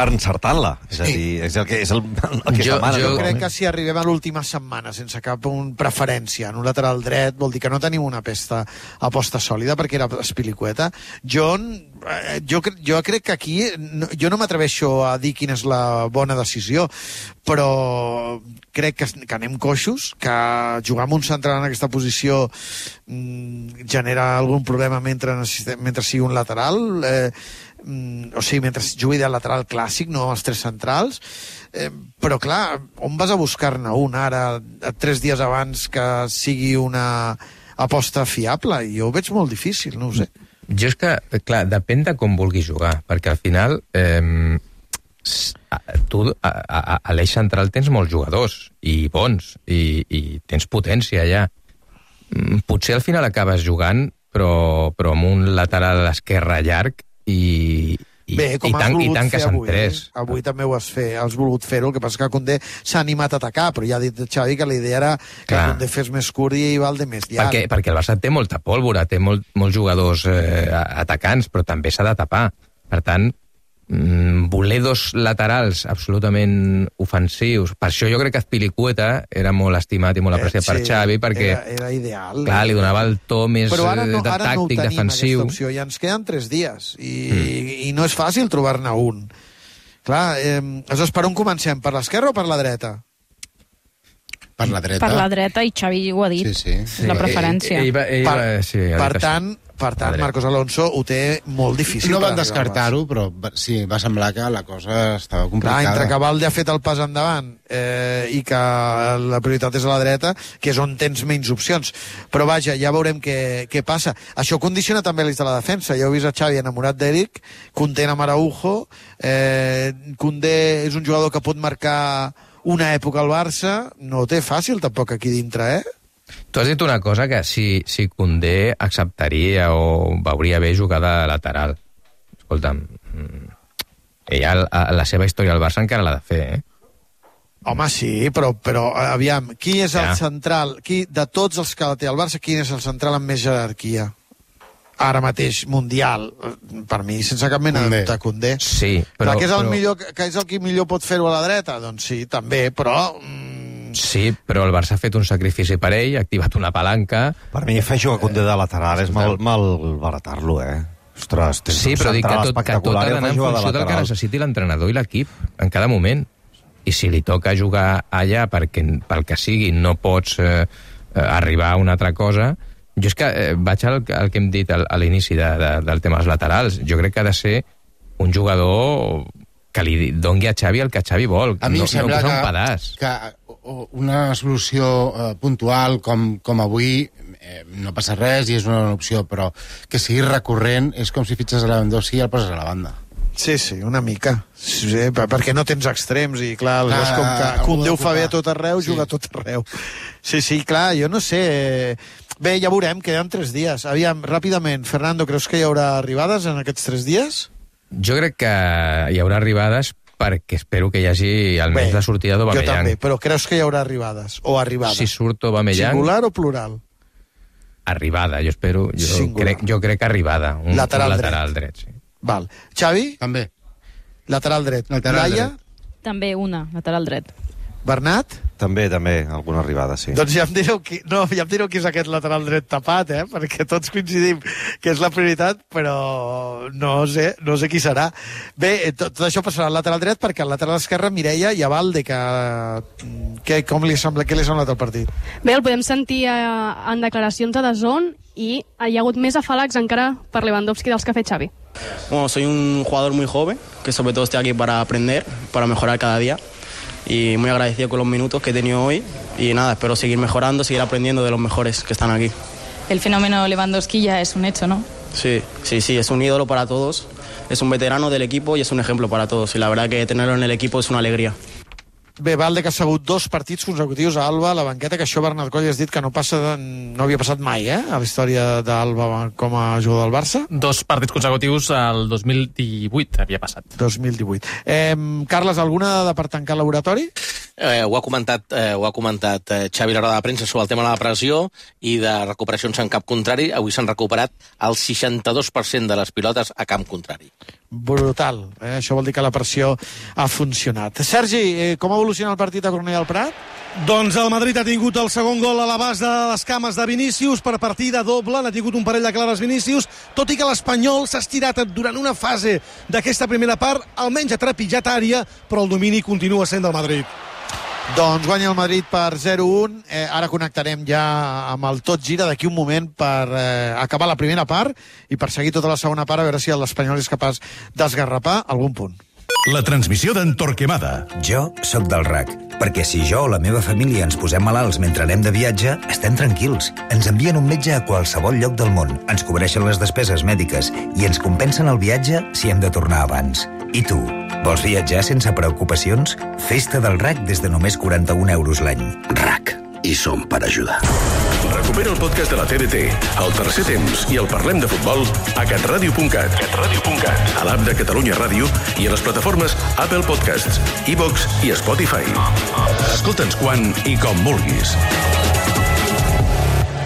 encertant-la. És a dir, és el que demana. Jo crec que si arribem a l'última setmana sense cap preferència en un lateral dret, vol dir que no tenim una aposta sòlida, perquè era espilicueta. Jo crec que aquí jo no m'atreveixo a dir quina és la bona decisió, però crec que anem coixos, que jugar amb un central en aquesta posició genera algun problema mentre sigui un lateral, o sigui, mentre jugui de lateral clàssic, no els 3 centrals, però clar, on vas a buscar-ne un ara, 3 dies abans que sigui una aposta fiable? Jo ho veig molt difícil, no ho sé. Jo és que, clar, depèn de com vulguis jugar, perquè al final tu a l'eix central tens molts jugadors i bons, i tens potència allà. Potser al final acabes jugant però amb un lateral a l'esquerra llarg i tanques en 3. Avui també ho has volgut fer-ho, el que passa que Koundé s'ha animat a atacar, però ja ha dit Xavi que la idea era que Koundé fes més curt i Valde més llarg. Perquè el Barça té molta pólvora, té molts jugadors atacants, però també s'ha de tapar. Per tant, voler 2 laterals absolutament ofensius, per això jo crec que Azpilicueta era molt estimat i molt apreciat per Xavi, perquè era ideal, clar, li donava el to més tàctic, defensiu. Opció. Ja ens queden 3 dies i no és fàcil trobar-ne un. Clar, aleshores, per on comencem? Per l'esquerra o per la dreta? Per la dreta. Per la dreta, i Xavi ho ha dit. Sí. La preferència. Per tant, Marcos Alonso ho té molt difícil. No van descartar-ho, però sí, va semblar que la cosa estava complicada. Entre que Valde ha fet el pas endavant i que la prioritat és a la dreta, que és on tens menys opcions. Però vaja, ja veurem què passa. Això condiciona també l'eix de la defensa. Ja heu vist a Xavi enamorat d'Eric, content amb Araujo. Koundé és un jugador que pot marcar una època al Barça. No ho té fàcil, tampoc, aquí dintre, Tu has dit una cosa, que si Koundé acceptaria o veuria bé jugar de lateral. Escolta'm, ella la seva història al Barça encara l'ha de fer, Home, sí, però aviam, qui és el central? De tots els que té el Barça, quin és el central amb més jerarquia? Ara mateix, mundial, per mi, sense cap mena de dubte, Koundé. Sí, però... Que és el qui millor pot fer-ho a la dreta? Doncs sí, també, però... Sí, però el Barça ha fet un sacrifici per ell, ha activat una palanca... Per mi fer jugar Koundé de lateral és mal baratar-lo, Ostres, sí, però dic que tot ha d'anar en funció del que necessiti l'entrenador i l'equip en cada moment. I si li toca jugar allà perquè pel que sigui no pots arribar a una altra cosa... Jo és que vaig al que hem dit a l'inici del tema dels laterals. Jo crec que ha de ser un jugador que li doni a Xavi el que Xavi vol. A mi em sembla que una solució puntual com avui no passa res i és una opció, però que sigui recurrent és com si fitxes a Lewandowski i el poses a la banda. Sí, una mica. Sí, perquè no tens extrems i, clar, és com que Koundé ho fa bé a tot arreu, juga a tot arreu. Sí, clar, jo no sé... Bé, ja veurem, queden 3 dies. Aviam, ràpidament, Fernando, creus que hi haurà arribades en aquests 3 dies? Jo crec que hi haurà arribades perquè espero que hi hagi almenys la sortida d'Aubameyang. Jo també, però creus que hi haurà arribades? O arribades? Si surt Aubameyang... Singular o plural? Arribada, jo espero. Jo crec que arribada. Un lateral dret, sí. Val. Xavi? També. Lateral dret. Laia? També una, lateral dret. Bernat? També, alguna arribada, sí. Doncs ja em direu qui és aquest lateral dret tapat, perquè tots coincidim que és la prioritat, però no sé qui serà. Bé, tot això passarà al lateral dret, perquè al lateral esquerre Mireia i Abalde, com li sembla, què li ha semblat el partit? Bé, el podem sentir en declaracions a DAZN i hi ha hagut més afalacs encara per Lewandowski dels que ha fet Xavi. Bueno, soy un jugador muy joven, que sobre todo estoy aquí para aprender, para mejorar cada día. Y muy agradecido con los minutos que he tenido hoy y nada, espero seguir mejorando, seguir aprendiendo de los mejores que están aquí. El fenómeno Lewandowski ya es un hecho, ¿no? Sí, es un ídolo para todos, es un veterano del equipo y es un ejemplo para todos y la verdad que tenerlo en el equipo es una alegría. Bé, Valde, que ha segut 2 partits consecutius a Alba, a la banqueta, que això Bernat Coll has dit que no havia passat mai, a la història d'Alba com a jugador del Barça. 2 partits consecutius al 2018 havia passat. 2018. Carles, alguna dada per tancar l'oratori? Ho ha comentat Xavi a la roda de premsa sobre el tema de la pressió i de recuperacions en camp contrari. Avui s'han recuperat el 62% de les pilotes a camp contrari. Brutal. Això vol dir que la pressió ha funcionat. Sergi, com ha evolucionat el partit a Cornellà del Prat? Doncs el Madrid ha tingut el segon gol a l'abast de les cames de Vinícius per partida doble, n'ha tingut un parell de clares Vinícius, tot i que l'Espanyol s'ha estirat durant una fase d'aquesta primera part, almenys ha trepitjat àrea, però el domini continua sent del Madrid. Doncs guanya el Madrid per 0-1. Ara connectarem ja amb el Tot Gira d'aquí un moment per acabar la primera part i per seguir tota la segona part, a veure si l'Espanyol és capaç d'esgarrapar algun punt. La transmissió d'en Torquemada. Jo sóc del RAC, perquè si jo o la meva família ens posem malalts mentre anem de viatge, estem tranquils. Ens envien un metge a qualsevol lloc del món, ens cobreixen les despeses mèdiques i ens compensen el viatge si hem de tornar abans. I tu, vols viatjar sense preocupacions? Festa del RAC des de només 41 euros l'any. RAC. I som per ajudar. Recupera el podcast de la TDT, el tercer temps i el Parlem de Futbol a catradio.cat, a l'app de Catalunya Ràdio i a les plataformes Apple Podcasts, iVox i Spotify. Escolta'ns quan i com vulguis.